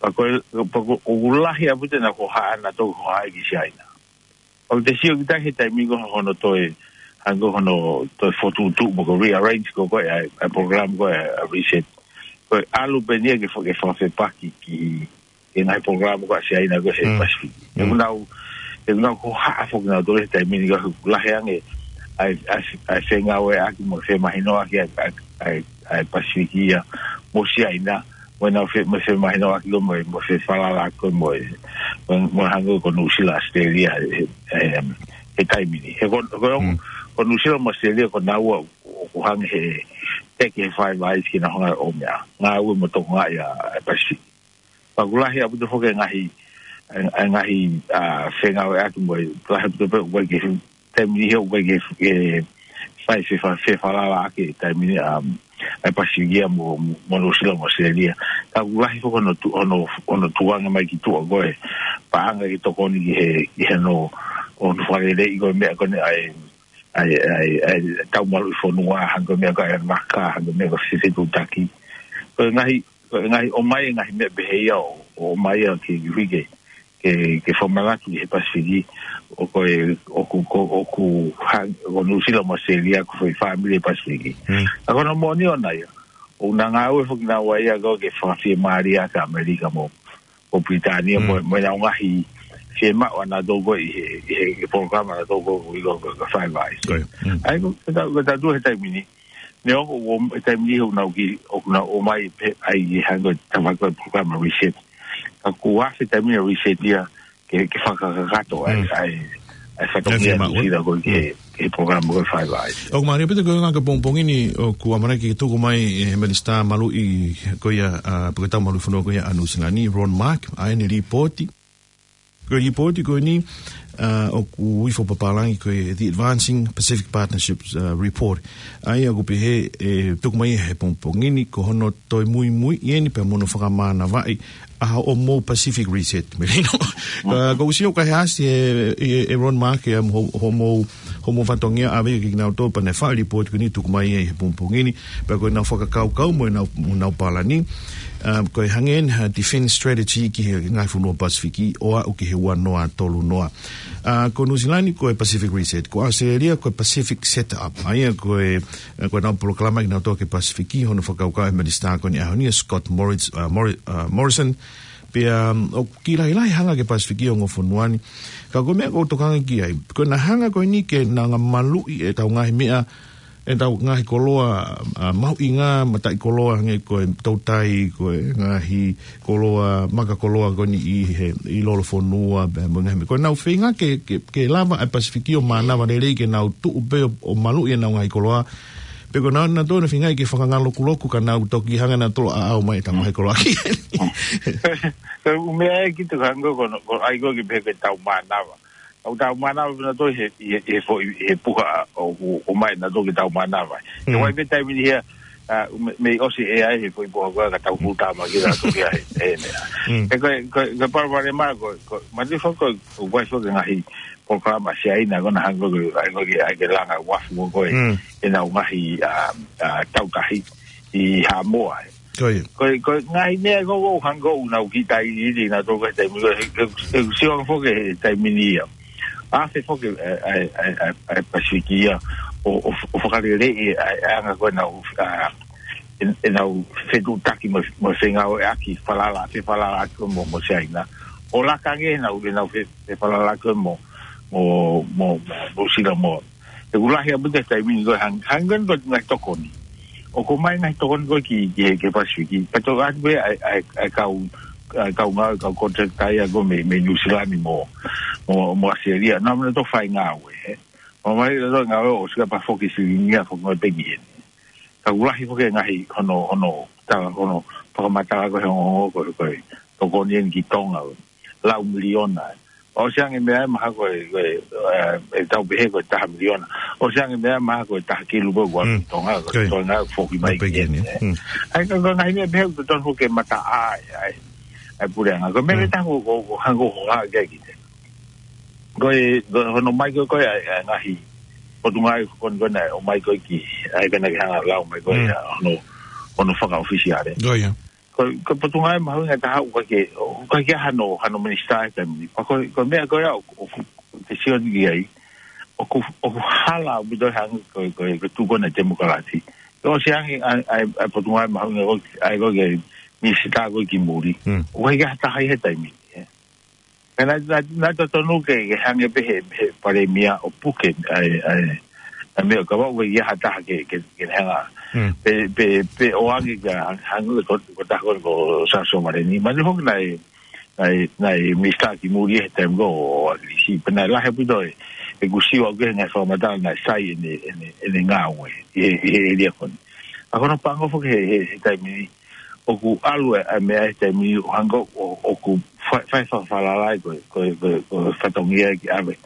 Pea ko e, pea ko e, ʻoku lahi ʻaupito naʻa nau hohaʻa, naʻa nau toe hohaʻa ki Siaina. Pea ʻoku te sio ki tahi he taimi ko ē hono toe, hangē ko hono toe fokotuʻutuʻu mo ko e rearrange ko ē ko ē ʻa e, ʻa e polokalama ko ē ʻa e reset. Ko e ʻalu pē eni ia ke fa-, ke fakafepaki ki, ki he ngaahi polokalama ko ē ʻa Siaina ko ē he Mm. Pasifiki. Mm. ʻOku nau, ʻoku nau hohaʻa foki nautolu he taimi ni ka ʻoku lahi ange ʻa e, ʻa e, ʻa e fengāueʻaki mo femahinoʻaki ʻa e, ʻa e, ʻa e, ʻa e Pasifiki ia mo Siaina, mo ʻenau fe-, mo femahinoʻaki ko ē mo, mo fefalala ko ē mo, mo, mo hangē ko Nuʻu Sila, ʻAositelēlia, he, he, he taimi ni. He ko, ko, Mm. ko Nuʻu Sila mo ʻAositelēlia ko naua ʻoku hangē he teke he Five Eyes ke nau hanga ʻo meʻa, ngāue mo tokangaʻi ʻa e Pasifiki. Pea ʻoku lahi ʻaupito foki e ngaahi, e, e ngaahi, ʻa, fengāueʻaki mo e lahi ʻaupito pē ʻoku ʻikai ke, taimi ni he ʻoku ʻikai ke, ke fai fefa-, fefalalaʻaki taimi ni, ʻa, ʻa e Pasifiki ia mo, mo Nuʻu Sila mo ʻAositelēlia. Ka ʻoku lahi foki hono tu-, hono, hono tukuange mai ki tuʻa ko ē paʻanga ke tokoni ki he, ki he hono, hono fakaleleiʻi ko ē meʻa ko eni ʻa e, ʻa e, ʻa e, ʻa e tau maluʻi fonua, hangē ko e meʻa ko ē ʻa e maka, hangē ko e meʻa ko e fefetuʻutaki. Ko e ngaahi, ko e ngaahi ʻomai, ngaahi meʻa pehē ia ʻo, ʻo ʻomai ia ke, ke hui ke, ke, ke fakamanatu ki he Pasifiki, ʻoku ko e, ʻoku, ko, ʻoku ha-, ko Nuʻu Sila mo ʻAositelēlia ko e foʻi fāmili ʻo e Pasifiki. Mm. Ka ko hono moʻoni ʻona ia, ʻoku nau ngāue foki naua ia ko ē ke fakafiemālie ʻaki ʻa ʻAmelika mo, ʻo Pilitānia Mm. mo, mo ʻenau ngaahi fiemaʻu ʻanautolu ko ē ʻi he, ʻi he, ʻi he polokalama ʻanautolu ko ē ʻoku ui ko e, ko e Five Eyes. Ko ia. Mm. ʻA ia ko, ko e ta-, ko e tautolu he taimi ni. Neongo ʻoku, he taimi ni ʻoku nau ki, ʻoku nau ʻomai pē ʻa e hangē ko e tafaʻaki ko ē polokalama reset. Ka kuo ʻasi e taimi ni reset ia ke, ke fakakakato ʻa e, Mm. ʻa e, ʻa e fatongia ʻa e fiemaʻu, ē? Nuʻu Sila ko ē ki he, Mm. ki he polokalama ko e Five Eyes. ʻOku mālie ʻaupito ko e ngaahi pongipongi ni ʻoku ʻamanaki ke tuku mai ʻe he minisitā maluʻi ko ia, ʻa, pe ko e tau maluʻi fonua ko ia ʻa Nuʻu Sila ni, Ron Mark, ʻa ʻene lipooti. Ko e lipooti ko eni, ʻa, ʻoku ui fakapapālangi ko e The Advancing Pacific Partnerships, ʻa, Report. ʻA ia ʻoku pehē, ʻe, tuku mai he pongipongi ni, ko hono toe muimui eni pea mo hono fakamānavaʻi ʻa hoʻomou Pacific Reset, Melino. Mm. ʻA, ʻoku ou sio ʻoku ʻasi ʻe, ʻe, ʻe Ron Mark, ʻa, mo ho-, hoʻomou homo fatongia ʻave ia kia kinautolu pea naʻe faʻa lipooti ko eni tuku mai ʻi he pongipongi ni, pea ko ʻenau fakakaukau mo ʻenau, mo ʻenau palani. Um, ko e hangē eni ha defense strategy ki he ngaahi fonua Pasifiki ʻo aʻu ki he ua noa tolu noa. Uh, ko Nuʻu Sila ni ko e Pacific Reset, ko ʻAositelēlia ko e Pacific Setup. ʻA ia ko e, ko ʻenau polokalama kinautolu ki he Pasifiki, hono fakakaukau ʻe he minisitā ko eni ʻaho ni, Scott Morris-, uh, Morri-, uh, Morrison, pea, um, ʻoku kiʻi lahilahi hanga ki he Pasifiki ʻo e ongo fonua ni. Ka ko e meʻa ʻoku ou tokanga ki ai, ko ʻena hanga ko eni ke nau hanga maluʻi ʻetau ngaahi meʻa, ʻetau ngaahi koloa, uh, mahuʻinga, mataʻikoloa, hangē ko e toutai, ko e ngaahi koloa, maka koloa ko eni ʻi he, ʻi lolofonua, pea mo e ngaahi meʻa. Ko ʻenau feinga ke, ke, ke lava ʻa e Pasifiki ʻo mānava lelei ke nau tuʻu pē ʻo, ʻo maluʻi ʻenau ngaahi koloa, pe ko ʻenau, naʻa tau na feinga ke fakangalokuloku ka nau toki hanga nautolu ʻo ʻaʻau mai ʻetau ngaahi koloa ki heni. Ko e ʻū meʻa ē ki te hanga ko, ko ai ko ki pē ke tau mānava. ʻOku tau mānava pē nautolu he, he, he foʻi, he puha ʻo, ʻo, ʻomai nautolu ke tau mānava. He Mm. ʻoku ʻi ai pē taimi ni ia, a, me, mei ʻosi ʻe ʻi ai he foʻi puha ko ē ka tau futa ma ki nautolu ia he, he meʻa. Mm. He ko e, ko e, ko e palopalema ko, ko, ma te fo ko, ko e fo ke ngaahi polokalama Siaina ko ʻena hanga ko, ai ko ke, ai ke langa uafu ko e, Mm. ʻenau ngaahi, a, a, tautahi ʻi Haʻamoa ē. Ko ia. Ko e, ko e ngaahi meʻa ko ʻoku hanga ʻo nau kiʻi tailiili nautolu ko e taimi ko ē, he, he, he sio foki he taimi ni ia. ʻAfe foki, e, e, e, e, e Pasifiki ia, ʻo, ʻo, ʻo fakaleleiʻi, e, e anga ko ē ʻenau, a, ʻen-, ʻenau fetuʻutaki mo, mo e fengāueʻaki falala, fefalalaʻaki mo, mo Siaina. ʻO laka ange ʻenau, ʻenau fe-, fefalalaʻaki mo, mo, mo, mo, mo Sila mo. He ʻoku lahi ʻaupito he taimi ni ko e hang-, hangē ko e ngaahi tokoni. ʻOku ʻomai ngaahi tokoni ko ē ki, ki, ki he Pasifiki. Pea toki ʻoatu pē ʻa e, ʻa e, ʻa e kau, ʻa e kau ngāue, kau contractor ia ko ē mei, mei Nuʻu Sila ni mo, mo, mo ʻAositelēlia. Naʻa nau toe fai ngāue, ē. ʻOmai nautolu ngāue ʻo sika pea foki silini ia foki mo e peki eni. Ka ʻoku lahi foki e ngaahi hono, hono, tala, hono, fakamatala ko ē he ongoongo ko ē, ko e tokoni eni ki Tonga, lau miliona. ʻOsi ange meʻa ē mahalo ko e, ko e, e, e tau pehē ko e taha miliona. ʻOsi ange meʻa ē mahalo ko e taha kilu ko ē ʻoku ʻalu Mm. ki Tonga, ko e Ko ia. Tonga foki mai Mai pē ki heni, eni, ē. Mm. ʻA ia ko e, ko e ngaahi meʻa pehē ʻoku totonu foki ke mataʻi ʻa e, ʻa e puleʻanga. Ko e meʻa Mm. pē taha ʻoku, ʻoku, ʻoku hanga ʻo hā ki ai ki te. Ko e, ko e hono ʻomai ko ē, ko e, ʻa e, ʻa e ngaahi potungāue ko eni ko ē naʻe ʻomai ko ē ki, ʻa ia ko ē naʻa ke hanga ʻo lau mai ko ē, Mm. ʻa hono, hono fakaʻofisiale. Ko ia. Ko, ko e potungāue mahuʻinga taha ʻoku ʻikai ke, ʻoku ʻikai ke ʻi ai hano, hano minisitā he taimi ni. Pea ko, ko e meʻa ko ia ʻoku, ʻoku, ʻoku te sio ki ai, ʻoku, ʻoku hala ʻaupito hangē ko, ko, ko e tuʻu ko ē ʻa e temokalati. ʻOsi ange ʻa e, ʻa e, ʻa e potungāue mahuʻinga ko ē, ʻa ia ko ē ki he minisitā ko ē ki muli. Mm. ʻOku ʻikai ke ʻi ai ha taha ia he taimi ni, ē. Ka naʻe, naʻe, naʻe totonu ke, ke hangē pē he, he palēmia ʻo puke ʻa e, ʻa e, ʻa e meʻa ka ʻoku ʻikai ke ʻi ai ha taha ke, ke, ke hanga. Mm. Pe, pe, pe ʻoange ke hang-, hangē ko, ko e taha ko ē ko Sāsō Maleni. Mahino foki naʻe, naʻe, naʻe minisitā ki muli he taimi ko ē ʻo ʻAkilisi. Pea naʻe lahi ʻaupito e, ʻeku sio au ki he ngaahi fakamatala naʻe sai ʻene, ʻene, ʻene ngāue ʻi he, ʻi he ʻēlia ko eni. ʻA ia ko hono paʻanga foki he, he, he taimi ni, ʻoku ʻalu e, ʻa e meʻa he taimi ni ʻo hanga ʻo, ʻoku fai, fai fakafalala ai ko e, ko e, ko e, ko e fatongia ke ʻave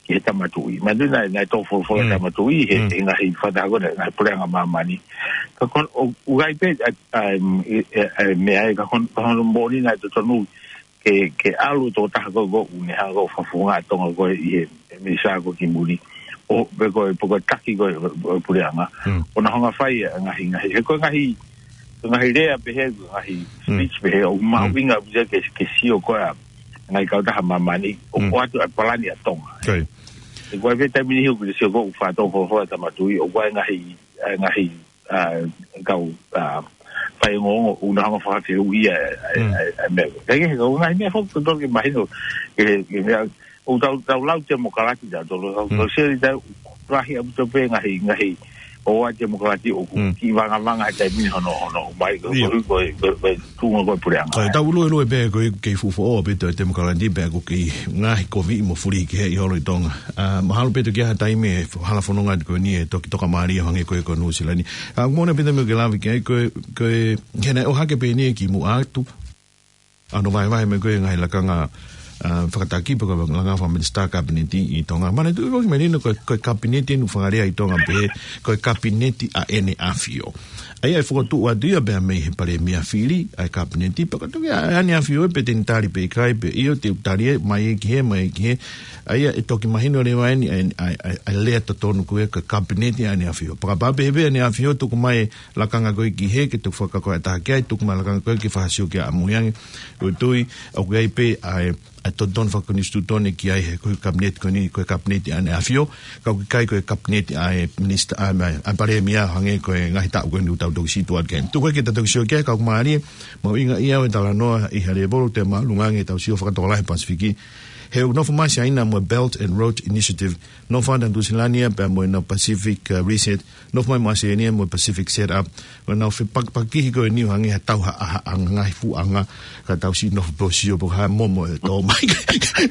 ki he Tama Tuʻi. Mahino naʻe, naʻe tō folofola Mm. Tama Tuʻi he, Mm. he ngaahi fakataha ko ē, ngaahi puleʻanga māmani. Ka ko hono, ʻoku ʻi ai pē, ʻa, ʻa, e, e, e, meʻa ē, ka ko hono, ko hono moʻoni naʻe totonu ke, ke ʻalu e tokotaha ko ē ʻoku ne hanga ʻo fakafofonga ʻa Tonga ko ē ʻi he, he minisitā ko ē ki muli. ʻO, pe ko e, pe ko e taki ko ē ʻo, ʻo e puleʻanga. Mm. ʻO na hanga ʻo fai e ngaahi, ngaahi, he ko e ngaahi, ko e ngaahi lea pehē, ko e ngaahi Mm. speech pehē, ʻoku Mm. mahuʻinga ʻaupito ke, ke sio ko ē ʻa e ngaahi kautaha māmani, ʻo Mm. ʻoatu ʻa e palani ʻa Tonga. Ko ia. He ko e pē taimi ni ʻoku te sio ko ē ʻoku faʻa tō folofola Tama Tuʻi, ʻoku ʻi ai e ngaahi, e ngaahi ʻa, kau, ʻa, faiongoongo ʻoku na hanga ʻo fakafehuʻia, ʻa, ʻa, Mm. ʻa, ʻa e meʻa. Ka ʻi he, ko e ngaahi meʻa foki ʻoku totonu ke mahino, ke, ke meʻa, ʻoku tau, tau lau temokalati tautolu, tau, Mm. tau sio ʻi he taimi lahi ʻaupito pē ngaahi, ngaahi, ʻo e temokalati ʻoku Mm. kiʻi vangavanga he taimi ni hono, hono, mai, ko, Ia. ko, ko, ko, ko, tuʻunga ko ē puleʻanga. Ka tau luelue pē ko e kei fuʻu foʻou ʻaupito e temokalati pea ko e kei ngaahi kovi mo fuli ki he ʻi holo ʻi Tonga. ʻA, mahalo pē toki ʻi ai ha taimi ʻe hala fononga ko eni ʻe toki tokamālie hangē ko ē ko Nuʻu Sila ni. ʻA, ʻoku moʻoni ʻaupito meʻa ke lave ki ai ko e, ko e, he naʻe ʻohake pē eni ki muʻa atu. ʻA hono vahevahe mai ko ē ngaahi lakanga ʻa, fakataki pe ko e langa fakaminisitā kapineti ʻi Tonga. Manatuʻi foki Melino ko e, ko e kapineti ʻoku fakalea ʻi Tonga pē, ko e kapineti ʻa ʻEne ʻAfio. ʻA ia ʻe fokotuʻu atu ia pea mei he palēmia fili ʻa e kapineti, pea ka toki ʻa ʻEne ʻAfio ē pe te ne tali pe ʻikai pe ʻio te u tali ē, mai ē ki hē, mai ē ki hē. ʻA ia ʻe toki mahino leva eni ʻa e, ʻa e, ʻa e, ʻa e lea totonu ko e ko e kapineti ʻa ʻEne ʻAfio. Pea kapau pē he pē ʻEne ʻAfio tuku mai e lakanga ko ē ki hē ke toki fakakaukau ʻe taha ki ai, tuku mai e lakanga ko ē ke fakasio ki ai ʻamui ange. ʻOku ou tui, ʻoku ʻi ai pē ʻa e, ʻa e totonu fakakonisitūtone ki ai he ko e kapineti ko eni, ko e kapineti ʻa ʻEne ʻAfio, ka ʻoku ʻikai ko e kapineti ʻa e minisitā, ʻa e, ʻa e palēmia hangē ko e ngaahi taʻu ko eni ʻoku tau toki situʻa ke. Tuku ē ke tau toki sio ki ai, ka ʻoku mālie, mahuʻinga ia ʻa e talanoa ʻi he lēvolo te māʻolunga ange ʻetau sio fakatokolahi Pasifiki. He ʻoku nofo mai Siaina mo e Belt and Road Initiative, nofo atu ʻa Nuʻusila ni ia pea mo ʻenau Pacific, uh, Reset, nofo mai mo ʻAositelēlia mo e Pacific Setup, ʻo nau fepakipakihi ko eni ʻo hangē ha tau ha, ha, ha ngaahi fuʻu anga, ka tau siʻi nofo pē ʻo sio pe ko e hā e momo ʻe tō mai.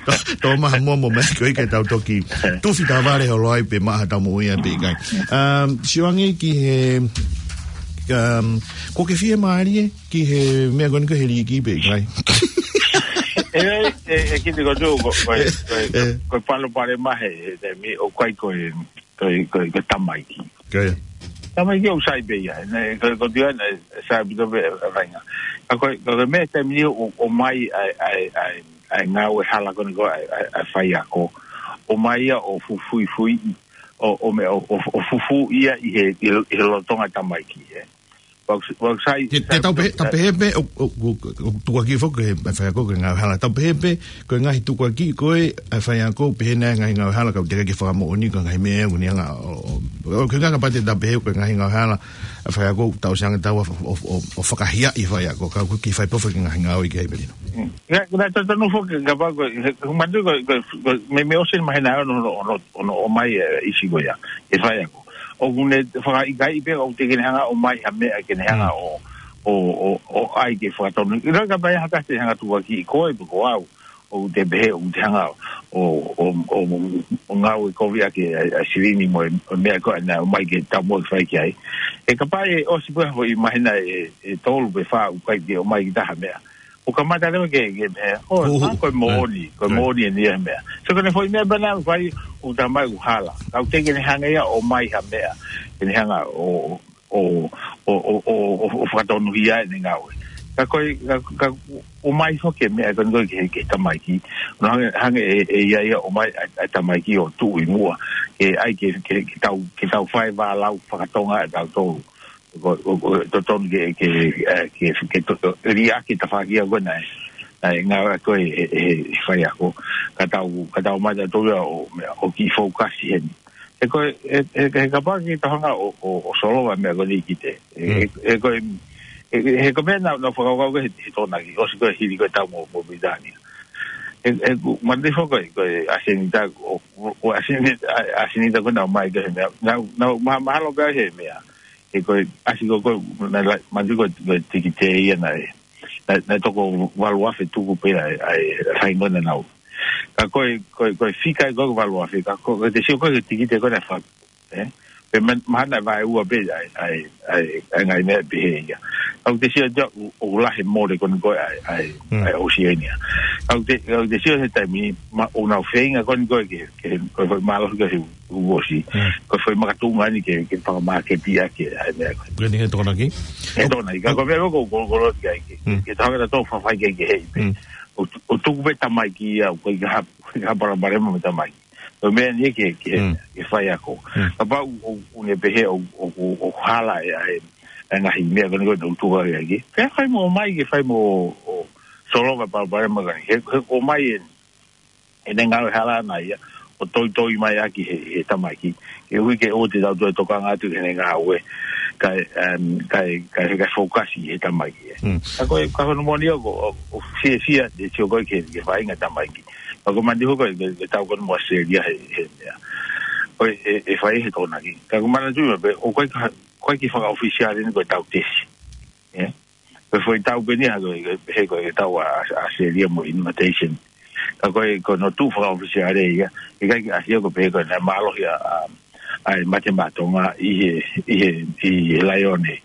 Tō, tō mai ha momo mai ko ē ke tau toki tufi tā vale holo ai pe maʻa ha tau moʻui ai pe ʻikai. Um, sio ange ki he, um, ko ke fiemālie ki he meʻa ko eni ko e liiki pe ʻikai? ʻE, ʻe, ʻe, ʻe, kite ko tō, ko, ko, ko, ʻE. ko e palopalema he, he, he, mi, ʻoku ʻikai ko e, ko e, ko e, ko e tamaiki. Ko ia. Tamaiki ʻoku sai pē ia, ne, ko, ko tia ne, sai pē ʻa e faʻahinga. Ka ko e, ka ko e meʻa taimi ni ʻo, ʻomai ʻa e, ʻa e, ʻa e, ʻa e ngāue hala ko eni ko e, ʻa e, ʻa e, ʻa e faiako. ʻOmai ia ʻo fufuifui, ʻo, ʻo meʻa, ʻo, ʻo, ʻo fufū ia ʻi he, ʻi he, ʻi he lolotonga tamaiki, ē. Ua, ua sai, Te, te sai tau pē, tau pē pē, ʻo, ʻo, ʻo, ʻo, tukuakiʻi foki ʻa e faiako ko e ngāue hala. Tau pē pē, ko e ngaahi tukuakiʻi ko ē, ʻa e faiako, pehē nai e ngaahi ngāue hala, ka ʻoku teʻeki ke fakamoʻoni, ko e ngaahi meʻa ʻoku ne hanga, ʻo, ʻo, ʻo, ko e ngaahi kapau te tau pehē, ko e ngaahi ngāue hala, ʻa e faiako, tau sanga tau, ʻo, ʻo, ʻo, ʻo fakahiaʻi e faiako, ka ʻoku ʻikai fai pē foki e ngaahi ngāue ki ai Melino. Mm. Ka, ka tau tanu foki, kapau ko, he, he, manatuʻi ko, ko, ko, meimei ʻosi e māhina ʻe ono, ono, ono, ono ʻomai e isi ko ia, e faiako. ʻOku ne fakaʻikaiʻi pē ʻoku teʻeki ke ne hanga ʻo ʻomai ha meʻa ke ne hanga Mm. ʻo, ʻo, ʻo, ʻo ʻai ke fakatonu. ʻIlo kapau ʻe ha taha te hanga tukuakiʻi koe pe ko au, ʻoku te pehē ʻoku te hanga ʻo, ʻo, ʻo, ʻo ngāue kovi ʻaki ʻa e, ʻa e silini mo e, ʻo e meʻa ko ē naʻe ʻomai ke tau mo fai ki ai. He kapau ʻe ʻosi pē ha foʻi māhina ʻe, ʻe tolu pe fā ʻoku ʻikai ke ʻomai ki ha taha meʻa. ʻO kamata leva ke, ke meʻa, ʻo, Uhu. ʻa, ko e moʻoni, ko e Right. moʻoni eni ia e meʻa. So ko ʻene foʻi meʻa pē naʻe fai, ʻoku talamai ʻoku hala. Ka ʻoku teʻeki ke ne hanga ia ʻo ʻomai ha meʻa, ke ne hanga ʻo, ʻo, ʻo fakatonuhia ʻene ngāue. Ka ko e, ka, ka ʻomai foki e meʻa ko eni ko ē ki he, ki he tamaiki. ʻO hangē, hangē ʻe, ʻe ʻi ai ia ʻomai ʻa, ʻa e tamaiki ʻo tuʻu ʻi muʻa. Ke ʻai ke, ke, ke tau, ke tau fai vālau fakatonga ʻe tautolu. Ko, ko, ko, totonu ke, ke, ʻe, ke, ke to-, liʻaki e tafaʻaki ko ē naʻe, naʻe ngāueʻaki ʻe, ʻe, ʻe he faiako. Ka tau, ka tau mai tautolu ia ʻo, meʻa, ʻo kiʻi fokasi heni. He ko e, he, he, he kapau ke tau hanga ʻo, ʻo, ʻo solova e meʻa ko eni ki te. He, Mm. he, he ko e, he, he, he ko e meʻa naʻa, naʻa ku fakakaukau ko ē he, he Tokonaki, ʻosi ko ē hili ko ē e tau mo, mo Pilitānia. He, he, ku, manatuʻi foki ko e, ko e ʻasenita, ʻo, ʻo, ʻo ʻasenita, ʻa, ʻasenita ko ē naʻe ʻomai ko ē he meʻa, naʻa, naʻa, ma-, mahalo pē he meʻa. He ko e, ʻasi ko ē, ko e, naʻe la-, manatuʻi ko e, ko e tikite ia naʻe, naʻe, naʻe toko valu afe tuku pē ʻa e, ʻa e, ʻa e faingona naʻa nau. Ka ko e, ko e, ko e fika ia ko e valu afe, ka ko e, ko e te sio ko ē he tikite ko ē naʻe fa-, ē? Pea ma-, mahalo naʻe vaeua pē ʻa e, ʻa e, ʻa e, ʻa e ngaahi meʻa pehē ia. Ka ʻoku te sio atu ʻoku, ʻoku lahi e mole ko eni ko ē ʻa e, ʻa e, Mm. ʻa e ʻOsiania. Ka ʻoku te, ka ʻoku te sio he taimi ni, ma-, ʻoku nau feinga ko eni ko ē ke, ke, ko e, ko e mālohi ko ē he uosi. Mm. Ko e foʻi makatuʻunga eni ke, ke fakamāketi ʻaki ʻa e meʻa ko ē. Ko eni he Tokonaki? He Tokonaki. Ka ko e meʻa ko ē ʻoku, ʻoku, ʻoku loto ki ai ke, Mm. ke tau hanga ʻo tau fafai ke, ke hei pē. Mm. ʻO, ʻo tuku pē tamaiki ia, ʻoku ʻikai ha, ha palopalema mo e tamaiki. Ko e meʻa eni ke, ke, Mm. ke faiako. Mm. Kapau ʻoku, ʻoku ne pehē ʻoku, ʻoku, ʻoku hala e, ʻa e, ʻa e ngaahi meʻa ko eni ko ē naʻa nau tukuakiʻi. Ke fai mo ʻomai, ke fai mo, ʻo, solova e palopalema ko eni. He, he ʻomai e, ʻene ngāue hala ʻana ia, ʻo toitoi mai ʻaki he, he tamaiki. Ke ui ke ʻoua te tau toe tokanga atu ki heʻene ngāue. Kae, em, kae, kae, kae fokasi he tamaiki. Mm. Ka ko e, ka ko hono moʻoni ʻoku, ʻoku, ʻoku fiefia, te sio ko ē ki he, ki he faʻahinga tamaiki. Ka ko e manatuʻi ko ē, ke, ke tau ko eni mo ʻAositelēlia he, he, he, ko e, ʻe, ʻe fai he Tokonaki. Ka ko e manatuʻi pē, ʻoku ʻikai ke, ʻikai ke fakaʻofisiale eni ko e tau tesi. Ē? Ko e foʻi tau pē eni ia, ko e, he ko e tau ʻa, ʻa ʻAositelēlia mo e invitation. Ka ko e, ko hono tuʻu fakaʻofisiale ia, ʻikai ke ʻasi ia ko e pehē ko e naʻe mālohi ʻa, ʻa, ʻa e Mate Maʻa Tonga ʻi he, ʻi he, ʻi he Laione.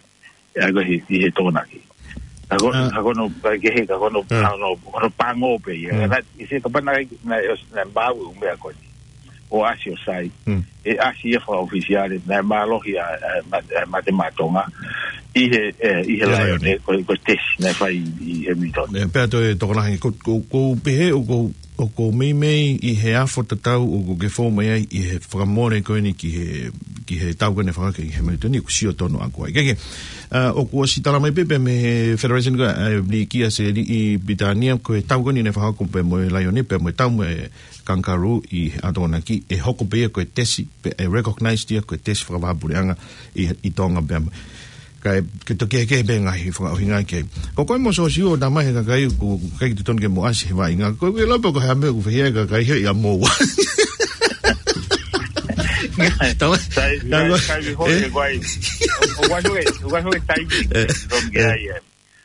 ʻA ia ko e ʻi he, ʻi he Tokonaki. Ka ko, ah, ka ko hono, ka ke he, ka ko hono, ah, ka ko hono, ko hono pango pē ia. Mm. Ka, ʻi he kapau naʻe, naʻe ʻosi, naʻe maʻu e ʻū meʻa ko eni ʻo ʻasi ʻo sai. Mm. ʻE ʻasi ia fakaʻofisiale, naʻe mālohi ʻa, ʻa, ma-, ʻa Mate Maʻa Tonga ʻi he, ē, ʻi he ʻIa, Laione, Laione. Ko, ko e tesi naʻe fai ʻi Hamilton. Ē, pea toe tokolahi, ko, ko, ko pehē, ʻoku, ʻoku meimei ʻi he afo tatau ʻoku ke fou mai ai ʻi he fakamole ko eni ki he, ki he tau ko eni fakake ʻi Hamilton, ʻoku sio tonu ʻaku ai. Ke, ke, ah, ʻoku ʻosi tala mai pē, pē mei he Federation ko, eh, Likia se li ʻi Pilitānia, ko e tau ko eni naʻe fakahoko pē mo e Laione, pea mo e tau mo e Kangaroo ʻi he ʻAtonga ki, ʻe hoko pē ia ko e tesi, pea ʻe recognize ia ko e tesi fakavahaʻapuleʻanga ʻi, ʻi Tonga pea mo. Kae, ke toki kehekehe pē ngaahi fakaʻuhinga ki ai. Ko koe mo Sosiua ʻo tala mai he kakai ʻoku ʻikai ke totonu ke mo ʻasi he vaʻinga. Ko e lau pē ko e hā e meʻa ʻoku fai he kakai he ia mo ua. Tau, sai, tau, sai, sai, hoi, eh? Ko ai. ʻO, ʻo, ʻo, ʻo, ʻo, ʻo, taimi, eh, totonu ke, eh, ai, eh.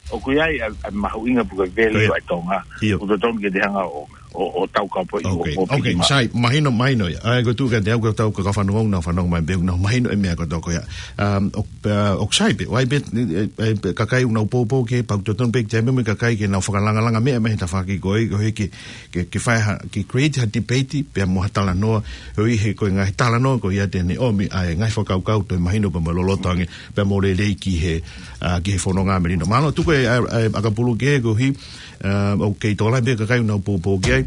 ʻOku ʻi ai ʻa, ʻa e mahuʻinga pe ko e value, ko ia, ʻa e Tonga. ʻIo. ʻOku totonu ke te hanga ʻo, ʻo, ʻo tau ka po i, ok, ʻo, ʻo ok, piki maʻu. Sai, mahino, mahino ia. ʻA ia ko e tuʻu kiate au ko e tau ka fanongo na fanongo mai pē, na mahino e meʻa ko e tau ko ia. Um, ʻo, uh, ʻoku sai pē, ʻoku ʻi ai pē, e, e, e, kakai ʻoku nau poupou ke pau totonu pē ke te ʻai mai mo e kakai ke nau fakalangalanga meʻa mei he tafaʻaki ko ē, ko ē ke, ke, ke fai ha, ke create ha debate, pea mo ha talanoa, ʻo ʻi he ko e ngaahi talanoa ko ia te ne ʻomi ʻa e ngaahi fakakaukau toe mahino pea mo loloto ange, pea mo lelei ki he, ah, ki he fononga melino. Mālō, tuku e, ʻa, ʻa, ʻakapulu ke koeʻuhi, ah, ʻoku kei tokolahi pē kakai ʻoku nau poupou ki ai.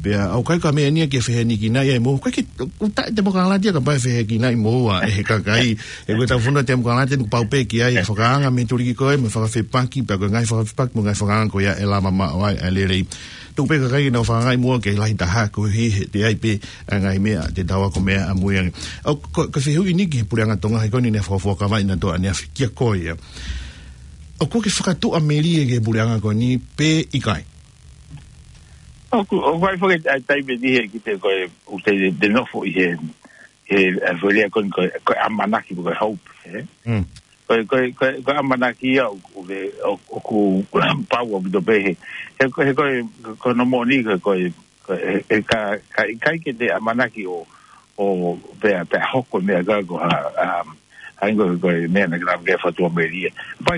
Pea ʻoku ʻikai ko ha meʻa ia ke fehiʻanekinaʻi ai mo, ʻikai ke, ʻoku taʻe temokalati ia kapau ʻe fehiʻanekinaʻi mo ua ʻe he kakai. He ko e tau fonua temokalati ʻoku pau pē ke ʻi ai e fakaanga mei he tuliki ko ē, mo e fakafepaki, pea ko e ngaahi fakafepaki, mo e ngaahi fakaanga ko ia ʻe lava maʻu ai e lelei. Tuku pē kakai ke nau fakaangaʻi mo ua ke lahi taha koeʻuhi he te ʻi ai pē ʻa e ngaahi meʻa te tau ako mei ai ʻamui ange. ʻOku, ko, ko e fehuʻi ni ki he Puleʻanga Tonga he ko eni naʻe fakafuakavaʻi naʻa tō ʻaneafi kia koe ia. ʻOku ke fakatuʻamelie ki he puleʻanga ko eni pe ʻikai? ʻOku, ʻoku ʻi ai foki ʻa e taimi ni he kiʻi te ko e, ʻoku te, te nofo ʻi he, he, ʻa e foʻi lea ko eni ko e, ko e ʻamanaki pe ko e hope, ē? Mm. Ko e, ko e, ko e, ko e ʻamanaki ia ʻoku, ʻoku, ʻoku, ʻoku pau ʻaupito pē he, he, he ko e, ko hono moʻoni ko e, ko e, ko e, he ka, ka ʻikai ke te ʻamanaki ʻo, ʻo pea, pea hoko e meʻa ka ko ha, um, ha ingo ko e meʻa naʻa ke lava ke fakatuʻamelie. Pea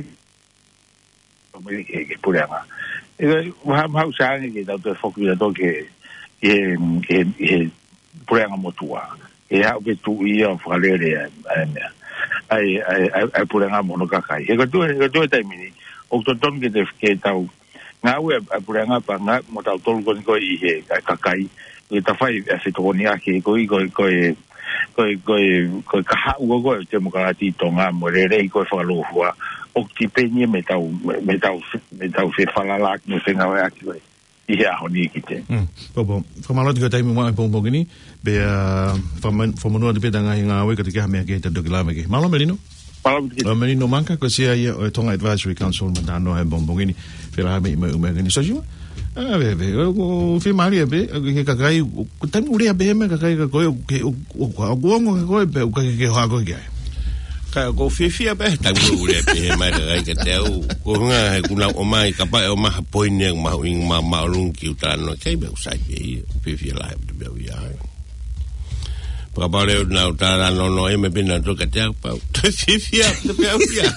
Amerika ke puleʻanga. ʻE, mahalo, mahalo ʻoku sai ange ke tau toe foki atu ki he, ki he, ki he, ki he puleʻanga motuʻa. ʻE haʻu ke tuʻu ia ʻo fakalele ʻa e, ʻa e meʻa. ʻA e, ʻa e, ʻa e, ʻa e puleʻanga mo hono kakai. He ko e tuʻu, he ko e tuʻu he taimi ni, ʻoku totonu ke te, ke tau ngāue ʻa e, ʻa e puleʻanga pea ngāue mo tautolu ko eni ko ē ʻi he, ʻa e kakai. Ke tau fai ʻa e fetokoniʻaki ko ē, ko e, ko e, ko e, ko e, ko e kahaʻu ko ē ʻo e temokalati ʻi Tonga mo e lelei ko ē fakalōfua, ʻoku tipeni ia mei heʻetau, mei heʻetau, mei heʻetau fefalalaʻaki mo e fengāueʻaki ko ē ʻi he ʻaho ni ki te. Mm. Pōpō. Fakamālō atu ki he taimi mo e pongipongi ni, pea, ah, fakama-, fakamonū atu pē ʻeta ngaahi ngāue ka te ke ha meʻa ke te toki lave ki ai. Mālō Melino. Mālō Melino. Ā, Melino Maka, ko e sea ia ʻo e Tonga Advisory Council, Matānoa he pongipongi ni. Fēlā ha meʻa ʻi mai ʻū meʻa ke ni. Sosiua? Ā, pē, pē, ʻoku, ʻoku fiemaʻu ia pē, ʻoku ke kakai, ʻoku, taimi ʻoku lea pehē mai kakai kiate koe, ʻoku ke, ʻoku, ʻoku, ʻoku ongo kiate koe, pea ʻoku ʻikai ke ke hohaʻa koe ki ai. Ka ʻoku ou fiefia pē, taimi ʻoku lea pehē mai kakai kiate au, ko e ʻuhinga he ʻoku nau ʻomai, kapau ʻe ʻomai ha poini ʻoku mahuʻinga ma-, māʻolunga ke u talanoa ki ai, pea ʻoku sai pē ia, ʻoku ou fiefia lahi atu pē au ia. Pea kapau leva naʻa ku talanoa ʻe meʻa pē naʻa tō kiate au pau. Fiefia, te pē au ia.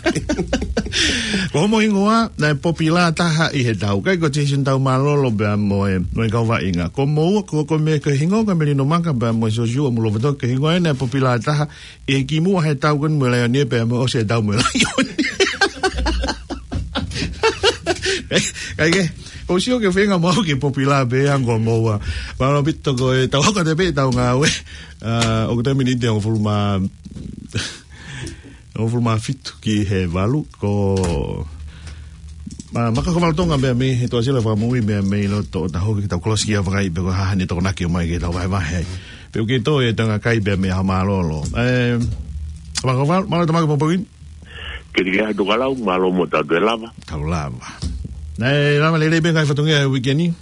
Ko homo hingoa, naʻe popilā taha ʻi he tau. ʻIkai ko Jason Taumālolo pea mo e, mo e kau vaʻinga. Ko moua, ko, ko e meʻa ko e hingoa ko Melino Maka pea mo Sosiua Mulovato ko e hingoa ia naʻe popilā taha ʻi he kimuʻa he tau ko eni mo e Laione pea mo e ʻosi e tau mo e Laione. ʻIkai ke, ʻoku ou sio ki he feinga mo au ke popilā pē ango moua. Mālō ʻaupito ko e tau hoko atu pē ʻetau ngāue. Ā, ʻoku taimi ni te hongofulu mā, hongofulu mā fitu ki he valu, ko, ā, Maka Kovalu Tonga pea mei he Tuʻasila Fakamoʻui pea mei loto ʻo Tahoki ke tau kolosi ki ʻAvakai pea ko e hā haʻane tokonaki ʻo mai ke tau vahevahe ai. Pea ʻoku ke tō e tanga kai pea mei Haʻamālōlō. Ē, Maka Kovalu, mālō e tau maʻu e pongipongi ni. Ke tiki atu ka lau, mālō mo tau toe lava. Tau lava. Naʻe lava lelei pē ngaahi fatongia he uike ni.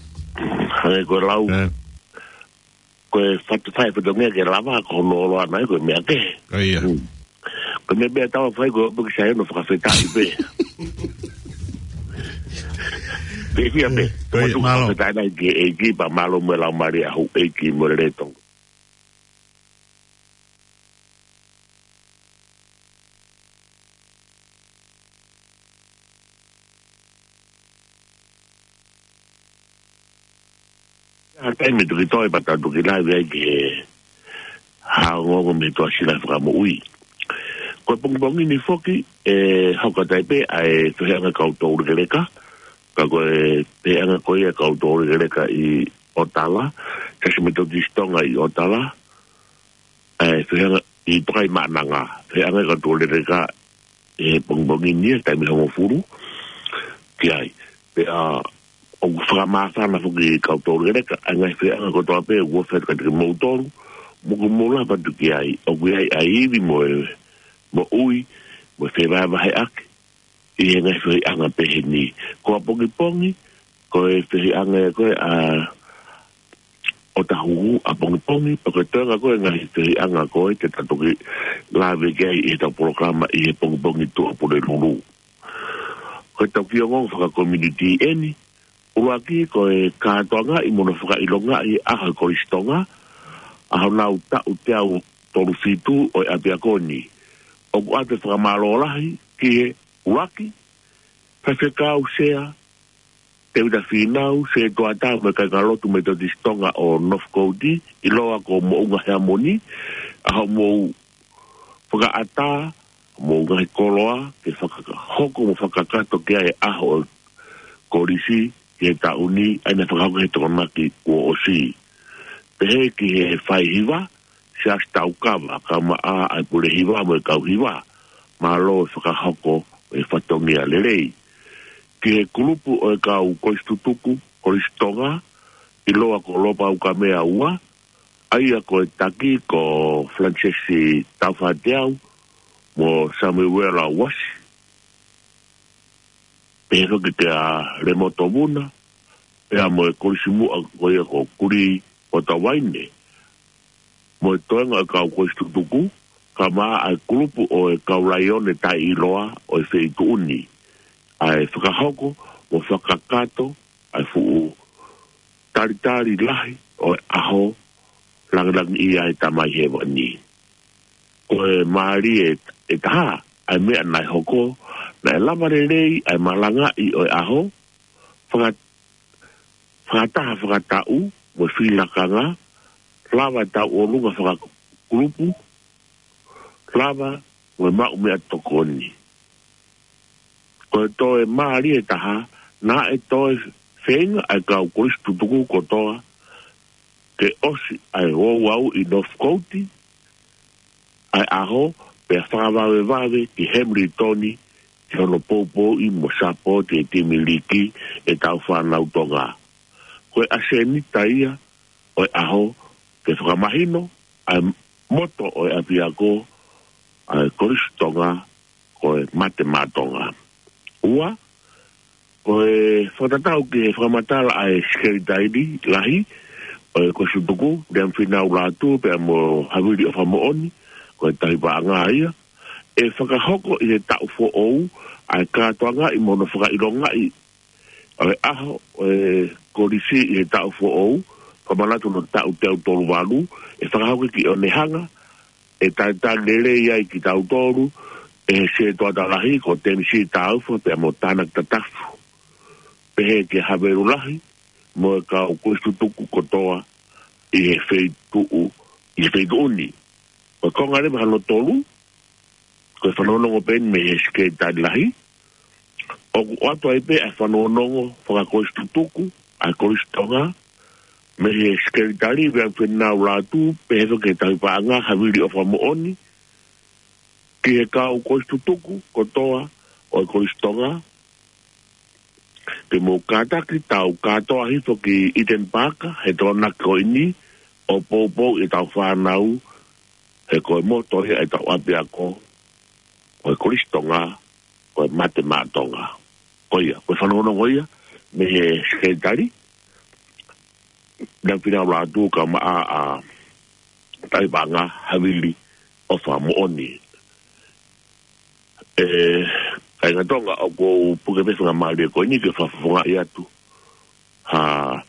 Hangē ko e lau. Ē. Ko e fatu-, fai fatongia ke lava, ko hono ʻosi ʻana ia ko e meʻa kehe. ʻA ia. Hmm. Ko e meʻa pē ʻe tau fai ko e ʻomi ke sai hono fakafetaʻi pē. Pehē pē. Ko ia, mālō. Fakafetaʻi lahi ki he ʻEiki pea mālō mo e laumālie ʻa houʻeiki mo e lelei ʻo Tonga. Taimi tuki toe pata tuki laivi ai ke hā ongoongo mei he Tuʻasila Fakamoʻui. Ko e pongipongi ni foki, ʻe hoko atu ai pē ʻa e fehiʻanga kau toulekeleka, ka ko e fehiʻanga ko ia kau toulekeleka ʻi ʻOtala, Siasi Metotisi Tonga ʻi ʻOtala, ʻa e fehiʻanga ʻi Tokaimaʻananga, fehiʻanga kau toulekeleka ʻi he pongipongi ni ʻa e taimi hongofulu ki ai. Pea ʻoku fakamāfana foki kau toulekeleka ʻa e ngaahi fehiʻanga kotoa pē ʻoku ʻofa atu kiate kimoutolu, mo hoʻomou lava atu ki ai, ʻoku ʻi ai ʻa e ivi mo e moʻui, mo e fevahevaheʻaki ʻi he ngaahi fehiʻanga pehē ni. Ko ʻapongipongi, ko e fehiʻanga ia ko ē ʻa ʻOtahuhu ʻapongipongi, pea ko e toenga ko ē ngaahi fehiʻanga ko ē te ta toki lave ki ai ʻi heʻetau polokalama ʻi he pongipongi Tuʻapulelulu. Ko ʻetau kiʻi ongoongo fakakomiunitī ʻeni, ʻuluaki ko e kātoangaʻi mo hono fakaʻilongaʻi ʻa e ʻAho ʻo e Kolisi Tonga, ʻa honau taʻu teau tolu fitu ʻo e ʻapiako ni. ʻOku ʻoatu e fakamālō lahi ki he ʻuluaki, Faifekau Sea Tēvita Fīnau, Sētuata mo e Kāingalotu Metotisi Tonga ʻo Northcote, ʻiloa ko Moʻunga Heamoni, ʻa hoʻomou fakaʻatā, mo e ngaahi koloa, ke fakahoko mo fakakakato ki ai e ʻaho ʻo e kolisi ki he taʻu ni, ʻa ia naʻe fakahoko he Tokonaki kuo ʻosi. Pehē ki he faihiva, Siasi Taukava, kae ʻumaʻā ʻa e pule hiva mo e kau hiva, mālō e fakahoko e fatongia lelei. Ki he kulupu ʻo e kau kolisi tutuku, Kolisi Tonga, ʻiloa ko Lopaukamea Ua, ʻa ia ko e taki ko Falanisesi Taufateau, mo Samuela Uasi, pehē foki kia Lemoto Vuna, pea mo e kolisi muʻa ko ia ko Kuli ʻOtavaine, mo e toenga ʻo e kau kolisi tutuku, kae ʻumaʻā ʻa e kulupu ʻo e kau laione taʻeʻiloa ʻo e feituʻu ni, ʻa e fakahoko mo fakakakato ʻa e fuʻu talitali lahi ʻo e ʻaho langilangiʻia ʻa e Tamai Hēvani. Ko e mālie ʻe taha ʻa e meʻa naʻe hoko, naʻe lava lelei ʻa e malangaʻi ʻo e ʻaho, faka-, fakataha fakataʻu mo e fili lakanga, lava e tauʻolunga fakakulupu, lava mo e maʻu meʻatokoni. Ko e toe mālie ʻe taha, naʻe toe feinga ʻa e kau kolisi tutuku kotoa ke ʻosi ʻa e ouau ʻi Northcote ʻa e ʻaho, pea fakavavevave ki Hamilton, ki hono poupouʻi mo sapoti e timi liki ʻetau fānau Tonga. Ko e ʻasenita ia ʻo e ʻaho, ke fakamahino ʻa e moto ʻo e ʻapiako, ʻa e Kolisi Tonga, ko e Mate Maʻa Tonga. Ua, ko e fakatatau ki he fakamatala ʻa e Sekelitali Lahi ʻo e Kolisi Tutuku, Liam Fīnau Lātū, pea mo Havili ʻOfamoʻoni, ko e tauhi paʻanga ia, ʻe fakahoko ʻi he taʻu foʻou ʻa e kātoangaʻi mo hono fakaʻilongaʻi ʻo e ʻaho ʻo e kolisi ʻi he taʻu foʻou, fakamanatu hono taʻu teau tolu valu, ʻe fakahoko ki ʻOnehanga, ʻe talitali lelei ai kitautolu ʻe he Sētuata Lahi ko Tēmisi Taufa pea mo Tānaki Tatafu. Pehē kia Havelu Lahi mo e kau kolisi tutuku kotoa ʻi he feituʻu, ʻi he feituʻu ni. Ko e konga leva hono tolu, ko e fanongonongo pē eni mei he Sekelitali Lahi, ʻoku ʻoatu ai pē ʻa e fanongonongo fakakolisi tutuku ʻa e Kolisi Tonga, mei he Sekelitali Liam Fīnau Lātū, pehē foki ki he tauhi paʻanga Havili ʻOfamoʻoni, ki he kau kolisi tutuku kotoa ʻo e Kolisi Tonga, ke mou kātaki tau kātoa hifo ki Eden Park he Tokonaki ko eni, ʻo poupou ʻetau fānau, he ko e moto ia ʻetau ʻapiako, ko e Kolisi Tonga, ko e Mate Maʻa Tonga. Ko ia, ko e fanongonongo ia mei he Sekelitali Liam Fīnau Lātū kae ʻumaʻā ʻa e tauhi paʻanga Havili ʻOfamoʻoni. ʻE kāinga Tonga, ʻoku ou puke pē faingamālie ko eni ke fakafofongaʻi atu ha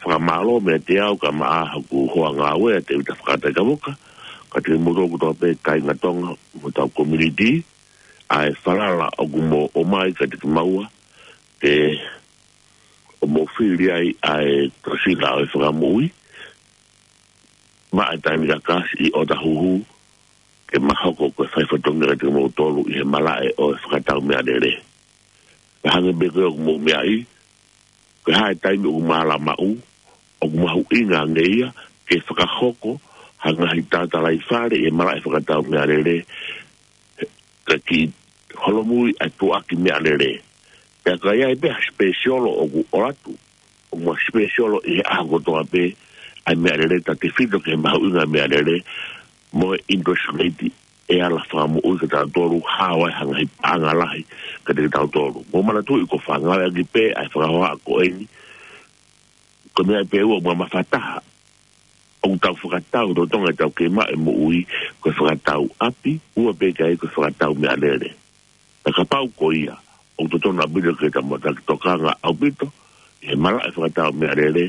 fakamālō meiate au kae ʻumaʻā hoku hoa ngāue ʻa Tēvita Fakataikavuka, kiate kimoutolu kotoa pē kāinga Tonga mo hotau komiunitī, ʻa e falala ʻoku mou ʻomai kiate kimaua, ke ʻoku mou fili ai ʻa e Tuʻasila ʻo e Fakamoʻui, maʻa e taimi kakasi ʻi ʻOtahuhu, ke ma hoko ko e fai fatongia kiate kimoutolu ʻi he malaʻe ʻo e fakatau meʻalele. Ka hangē pē ko ia ʻoku mou meaʻi, ko e hā e taimi ʻoku mālama ʻū, ʻoku mahuʻinga ange ia ke fakahoko ha ngaahi tatalaifale ʻi he malaʻe fakatau meʻalele, ka kiʻi holomui ʻa e tuʻuaki meʻalele. Pea ka ʻi ai pē ha special ʻoku ʻoatu, ʻoku ma special ʻi he ʻaho kotoa pē ʻa e meʻalele, tautefito ki he mahuʻinga meʻalele mo e interest rate ʻe ala fakamoʻui kiate kitautolu, hao ai ha ngaahi paʻanga lahi kiate kitautolu. Mou manatuʻi ko e fakaʻaongaʻi ʻaki pē ʻa e fakahohaʻa ko eni, ko e meʻa pē ʻoku ma mafataha ʻoku tau fakatau, lolotonga ʻetau kei maʻu e moʻui, ko e fakatau ʻapi, ʻoua pē ke ʻi ai ko e fakatau meʻalele. Ka kapau ko ia, ʻoku totonu ʻaupito ke tau maʻu taki tokanga ʻaupito ʻi he malaʻe fakatau meʻalele,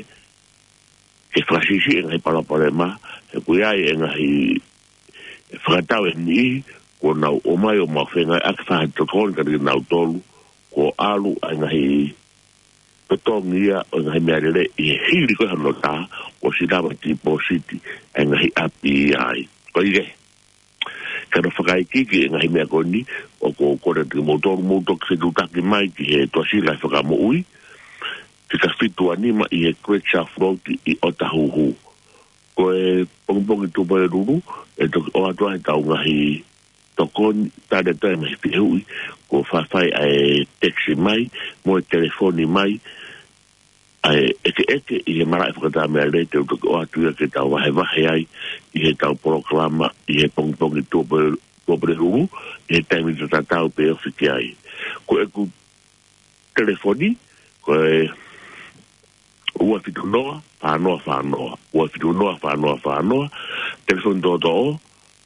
ke fakasiʻisiʻi e ngaahi palopalema, he ʻoku ʻi ai e ngaahi fakatau ʻe niʻihi kuo nau ʻomai ʻo mau fengāueʻaki fai ha tokoni kiate kinautolu, kuo ʻalu ʻa e ngaahi totongi ia ʻo e ngaahi meʻalele ʻi he hili ko ē hono tā, kuo ʻosi lava e tipōsiti ʻa e ngaahi ʻapi ai. Ko ia, ka nau fakaikiiki e ngaahi meʻa ko eni, ʻoku ou kole atu kimoutolu mou toki fetuʻutaki mai ki he Tuʻasila ʻo e Fakamoʻui, fika fitu ua nima ʻi he Great South Road ʻi ʻOtahuhu. Ko e pongipongi Tuʻapulelulu, ʻe toki ʻoatu ai ʻetau ngaahi tokoni, tali atu ai e ngaahi fehuʻi, kuo faifai ʻa e text mai, mo e telefoni mai, ʻa e ʻekeʻeke ʻi he malaʻe fakatau meʻalele te u toki ʻoatu ia ke tau vahevahe ai ʻi heʻetau polokalama ʻi he pongipongi Tuʻapule-, Tuʻapulelulu, ʻi he taimi tatau pē ofi ki ai. Ko ʻeku telefoni, ko e ua fitu noa, fā noa fā noa, ua fitu noa, fā noa fā noa, telefoni toʻotoʻo,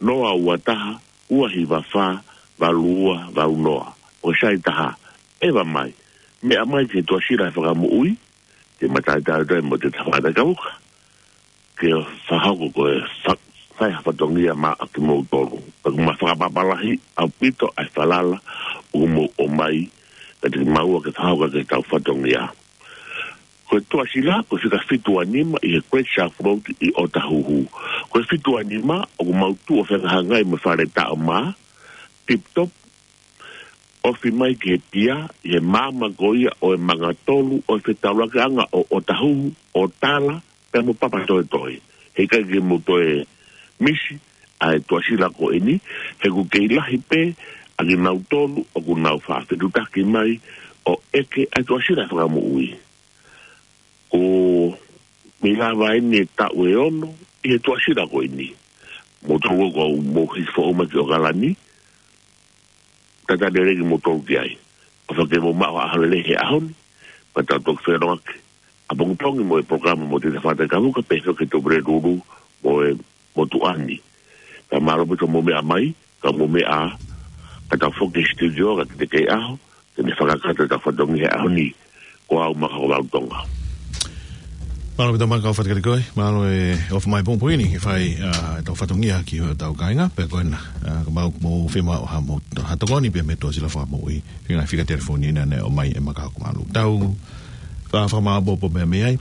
noa ua taha, ua hiva fā, valu ua valu noa. ʻO sai taha, ʻeva mai, meʻa mai ki he Tuʻasila ʻo e Fakamoʻui, te ma talitali atu ai mo Tita Fata Kavuka ke fakahoko ko e fa-, fai ha fatongia maʻa kimoutolu. Pea ʻoku ma fakapapālangi ʻaupito ʻa e falala ʻoku mou ʻomai kiate kimaua ke fakahoko ʻaki ʻetau fatongia. Ko e Tuʻasila, ko e fika fitu ua nima ʻi he Great South Road ʻi ʻOtahuhu. Ko e fitu ua nima, ʻoku mau tuʻu ʻo fehangahangai mo e fale taʻo mā, Tip Top, ofi mai ki he pia, ʻi he maama ko ia ʻo e manga tolu ʻo e fetaulakiʻanga ʻo ʻOtahuhu, ʻo Tala, pea mo Papatoetoe. Heʻikai ke mou toe misi ʻa e Tuʻasila ko eni, he ʻoku kei lahi pē ʻa kinautolu ʻoku nau faʻa fetuʻutaki mai ʻo ʻeke ʻa e Tuʻasila ʻo e Fakamoʻui. Ko e meʻa lava eni e taʻu ʻe ono ʻi he Tuʻasila ko eni. Mou tau ko au mou hiki foʻou mai ki ʻOkalani, talitali lelei kimoutolu ki ai. ʻOfa ke mou maʻu ha ʻaho lelei he ʻaho ni, pea tau toki feʻiloaki ʻapongipongi mo e polokalama mo Tita Fata Kavuka, pea hoko ki he Tuʻapulelulu mo e motuʻa ni. Pea mālō ʻaupito hoʻomou meʻa mai, ka mou meʻa ā, ka tau foki ki he studio, ka te kei ʻaho, ke ne fakakakato ʻetau fatongia he ʻaho ni, ko au Maka Hovau Tonga. Mālō ʻaupito Maka, ʻofa atu kiate koe, mālō e ʻofa mai pongipongi ni ke fai, ā, ʻetau fatongia ki hotau kāinga, pea ko ena, ā, ka mau mou fiemaʻu ha mou, ha tokoni pea mei he Tuʻasila ʻo e Fakamoʻui, fika, fika telefoni naʻe ʻomai ʻe Maka, mālō. Tau fa-, fakamāʻopoʻopo pē mei ai.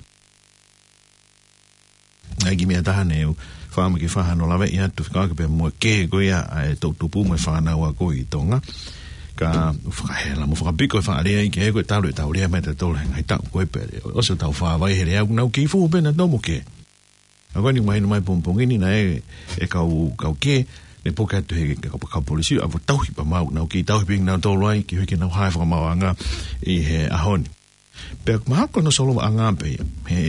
ʻA e kiʻi meʻa ʻe taha naʻe u fakaʻamu ke fai hano laveʻi atu, fekauʻaki pea mo e kē ko ia ʻa e toʻutupu mo e fānau ako ʻi Tonga. Ka fakahela mo fakapiko e faʻa lea ʻi he kē ko e talu ʻetau lea mai ʻa tautolu he ngaahi taʻu ko ē pea ʻosi ʻetau fāvai he lea, ʻoku nau kei fuhu pē nautolu mo e kē. ʻA ko eni mahino mai pongipongi ni naʻe, e kau, kau kē, ne puke atu he kau, kau polisi, ʻa ʻoku tauhi pea mau, nau kei tauhi pē kinautolu ai, ke hiki nau hae fakamaauʻanga ʻi he ʻaho ni. Pea mahalo ko hono solovaʻanga pē ia. He,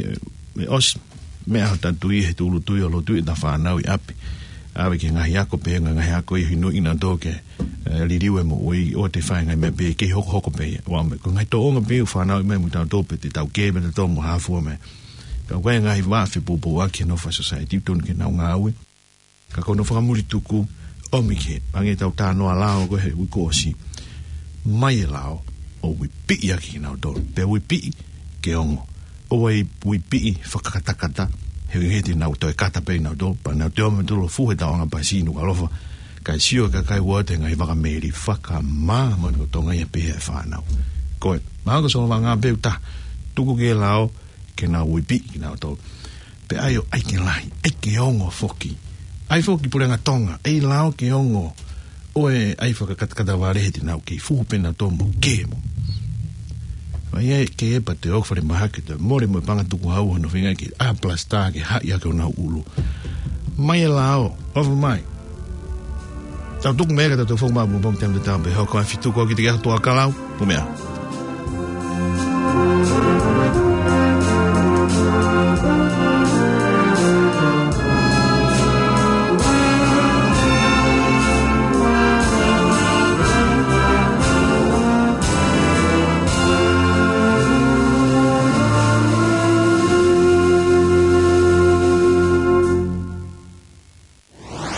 he ʻosi, meʻa ʻa hota tui, he tūʻulutui ʻo lotu ʻi heʻeta fānau ʻi ʻapi. ʻAve ki he ngaahi ako pē, ngaahi ako ʻi he inu ʻi nautolu ke, ē, liliu e moʻui, ʻoua te fai ngaahi meʻa pē, kei hokohoko pē ia. ʻOua me, ko e ngaahi tōʻonga pē ʻoku fānau ʻi mai mo tautolu pē, te tau kē, pea tautolu mo hafua mai. Ka ko e ngaahi vā fepoupouaki ʻa e nofo ʻa e society, tonu ke nau ngāue. Ka ko hono fakamuli tuku, ʻomi ke, hangē ʻetau talanoa lao ko ē he uike kuo ʻosi. Mai e lao, ʻo uipiʻi ʻaki kinautolu. Pea uipiʻi ke ongo. ʻOua ʻe uipiʻi fakakatakata, he ʻikai te nau toe kata pē kinautolu, pea nau toe ō mai nautolu ʻo fuhu he tauʻanga pasi ʻi Nukuʻalofa. Kae sio e kakai ʻoku ʻi ai e ngaahi vaka meli fakamāmani ko Tonga ia pē he fānau. Ko e, mahalo ko e solovaʻanga pē ʻoku ta, tuku ki he lao, ke nau uipiʻi kinautolu. Pea ʻai ʻo ʻai ke lahi, ʻai ke ongo foki. ʻAi foki puleʻanga Tonga, ʻai lao ke ongo. ʻOku ʻai fakakatakata vale he te nau kei fuhu pē nautolu mo kemo. Mai ē ke epa te ʻoku fale mahaki te mole mo e panga tukuhau hono feinga ke ʻā palasitā ke haʻi ake honau ʻulu. Mai e lao, ʻofa mai. Tau tuku mea ka tau tau foki mai mo pom te am te tau pē hoko a fitu ko ki te ke atu a kalau, pu mea.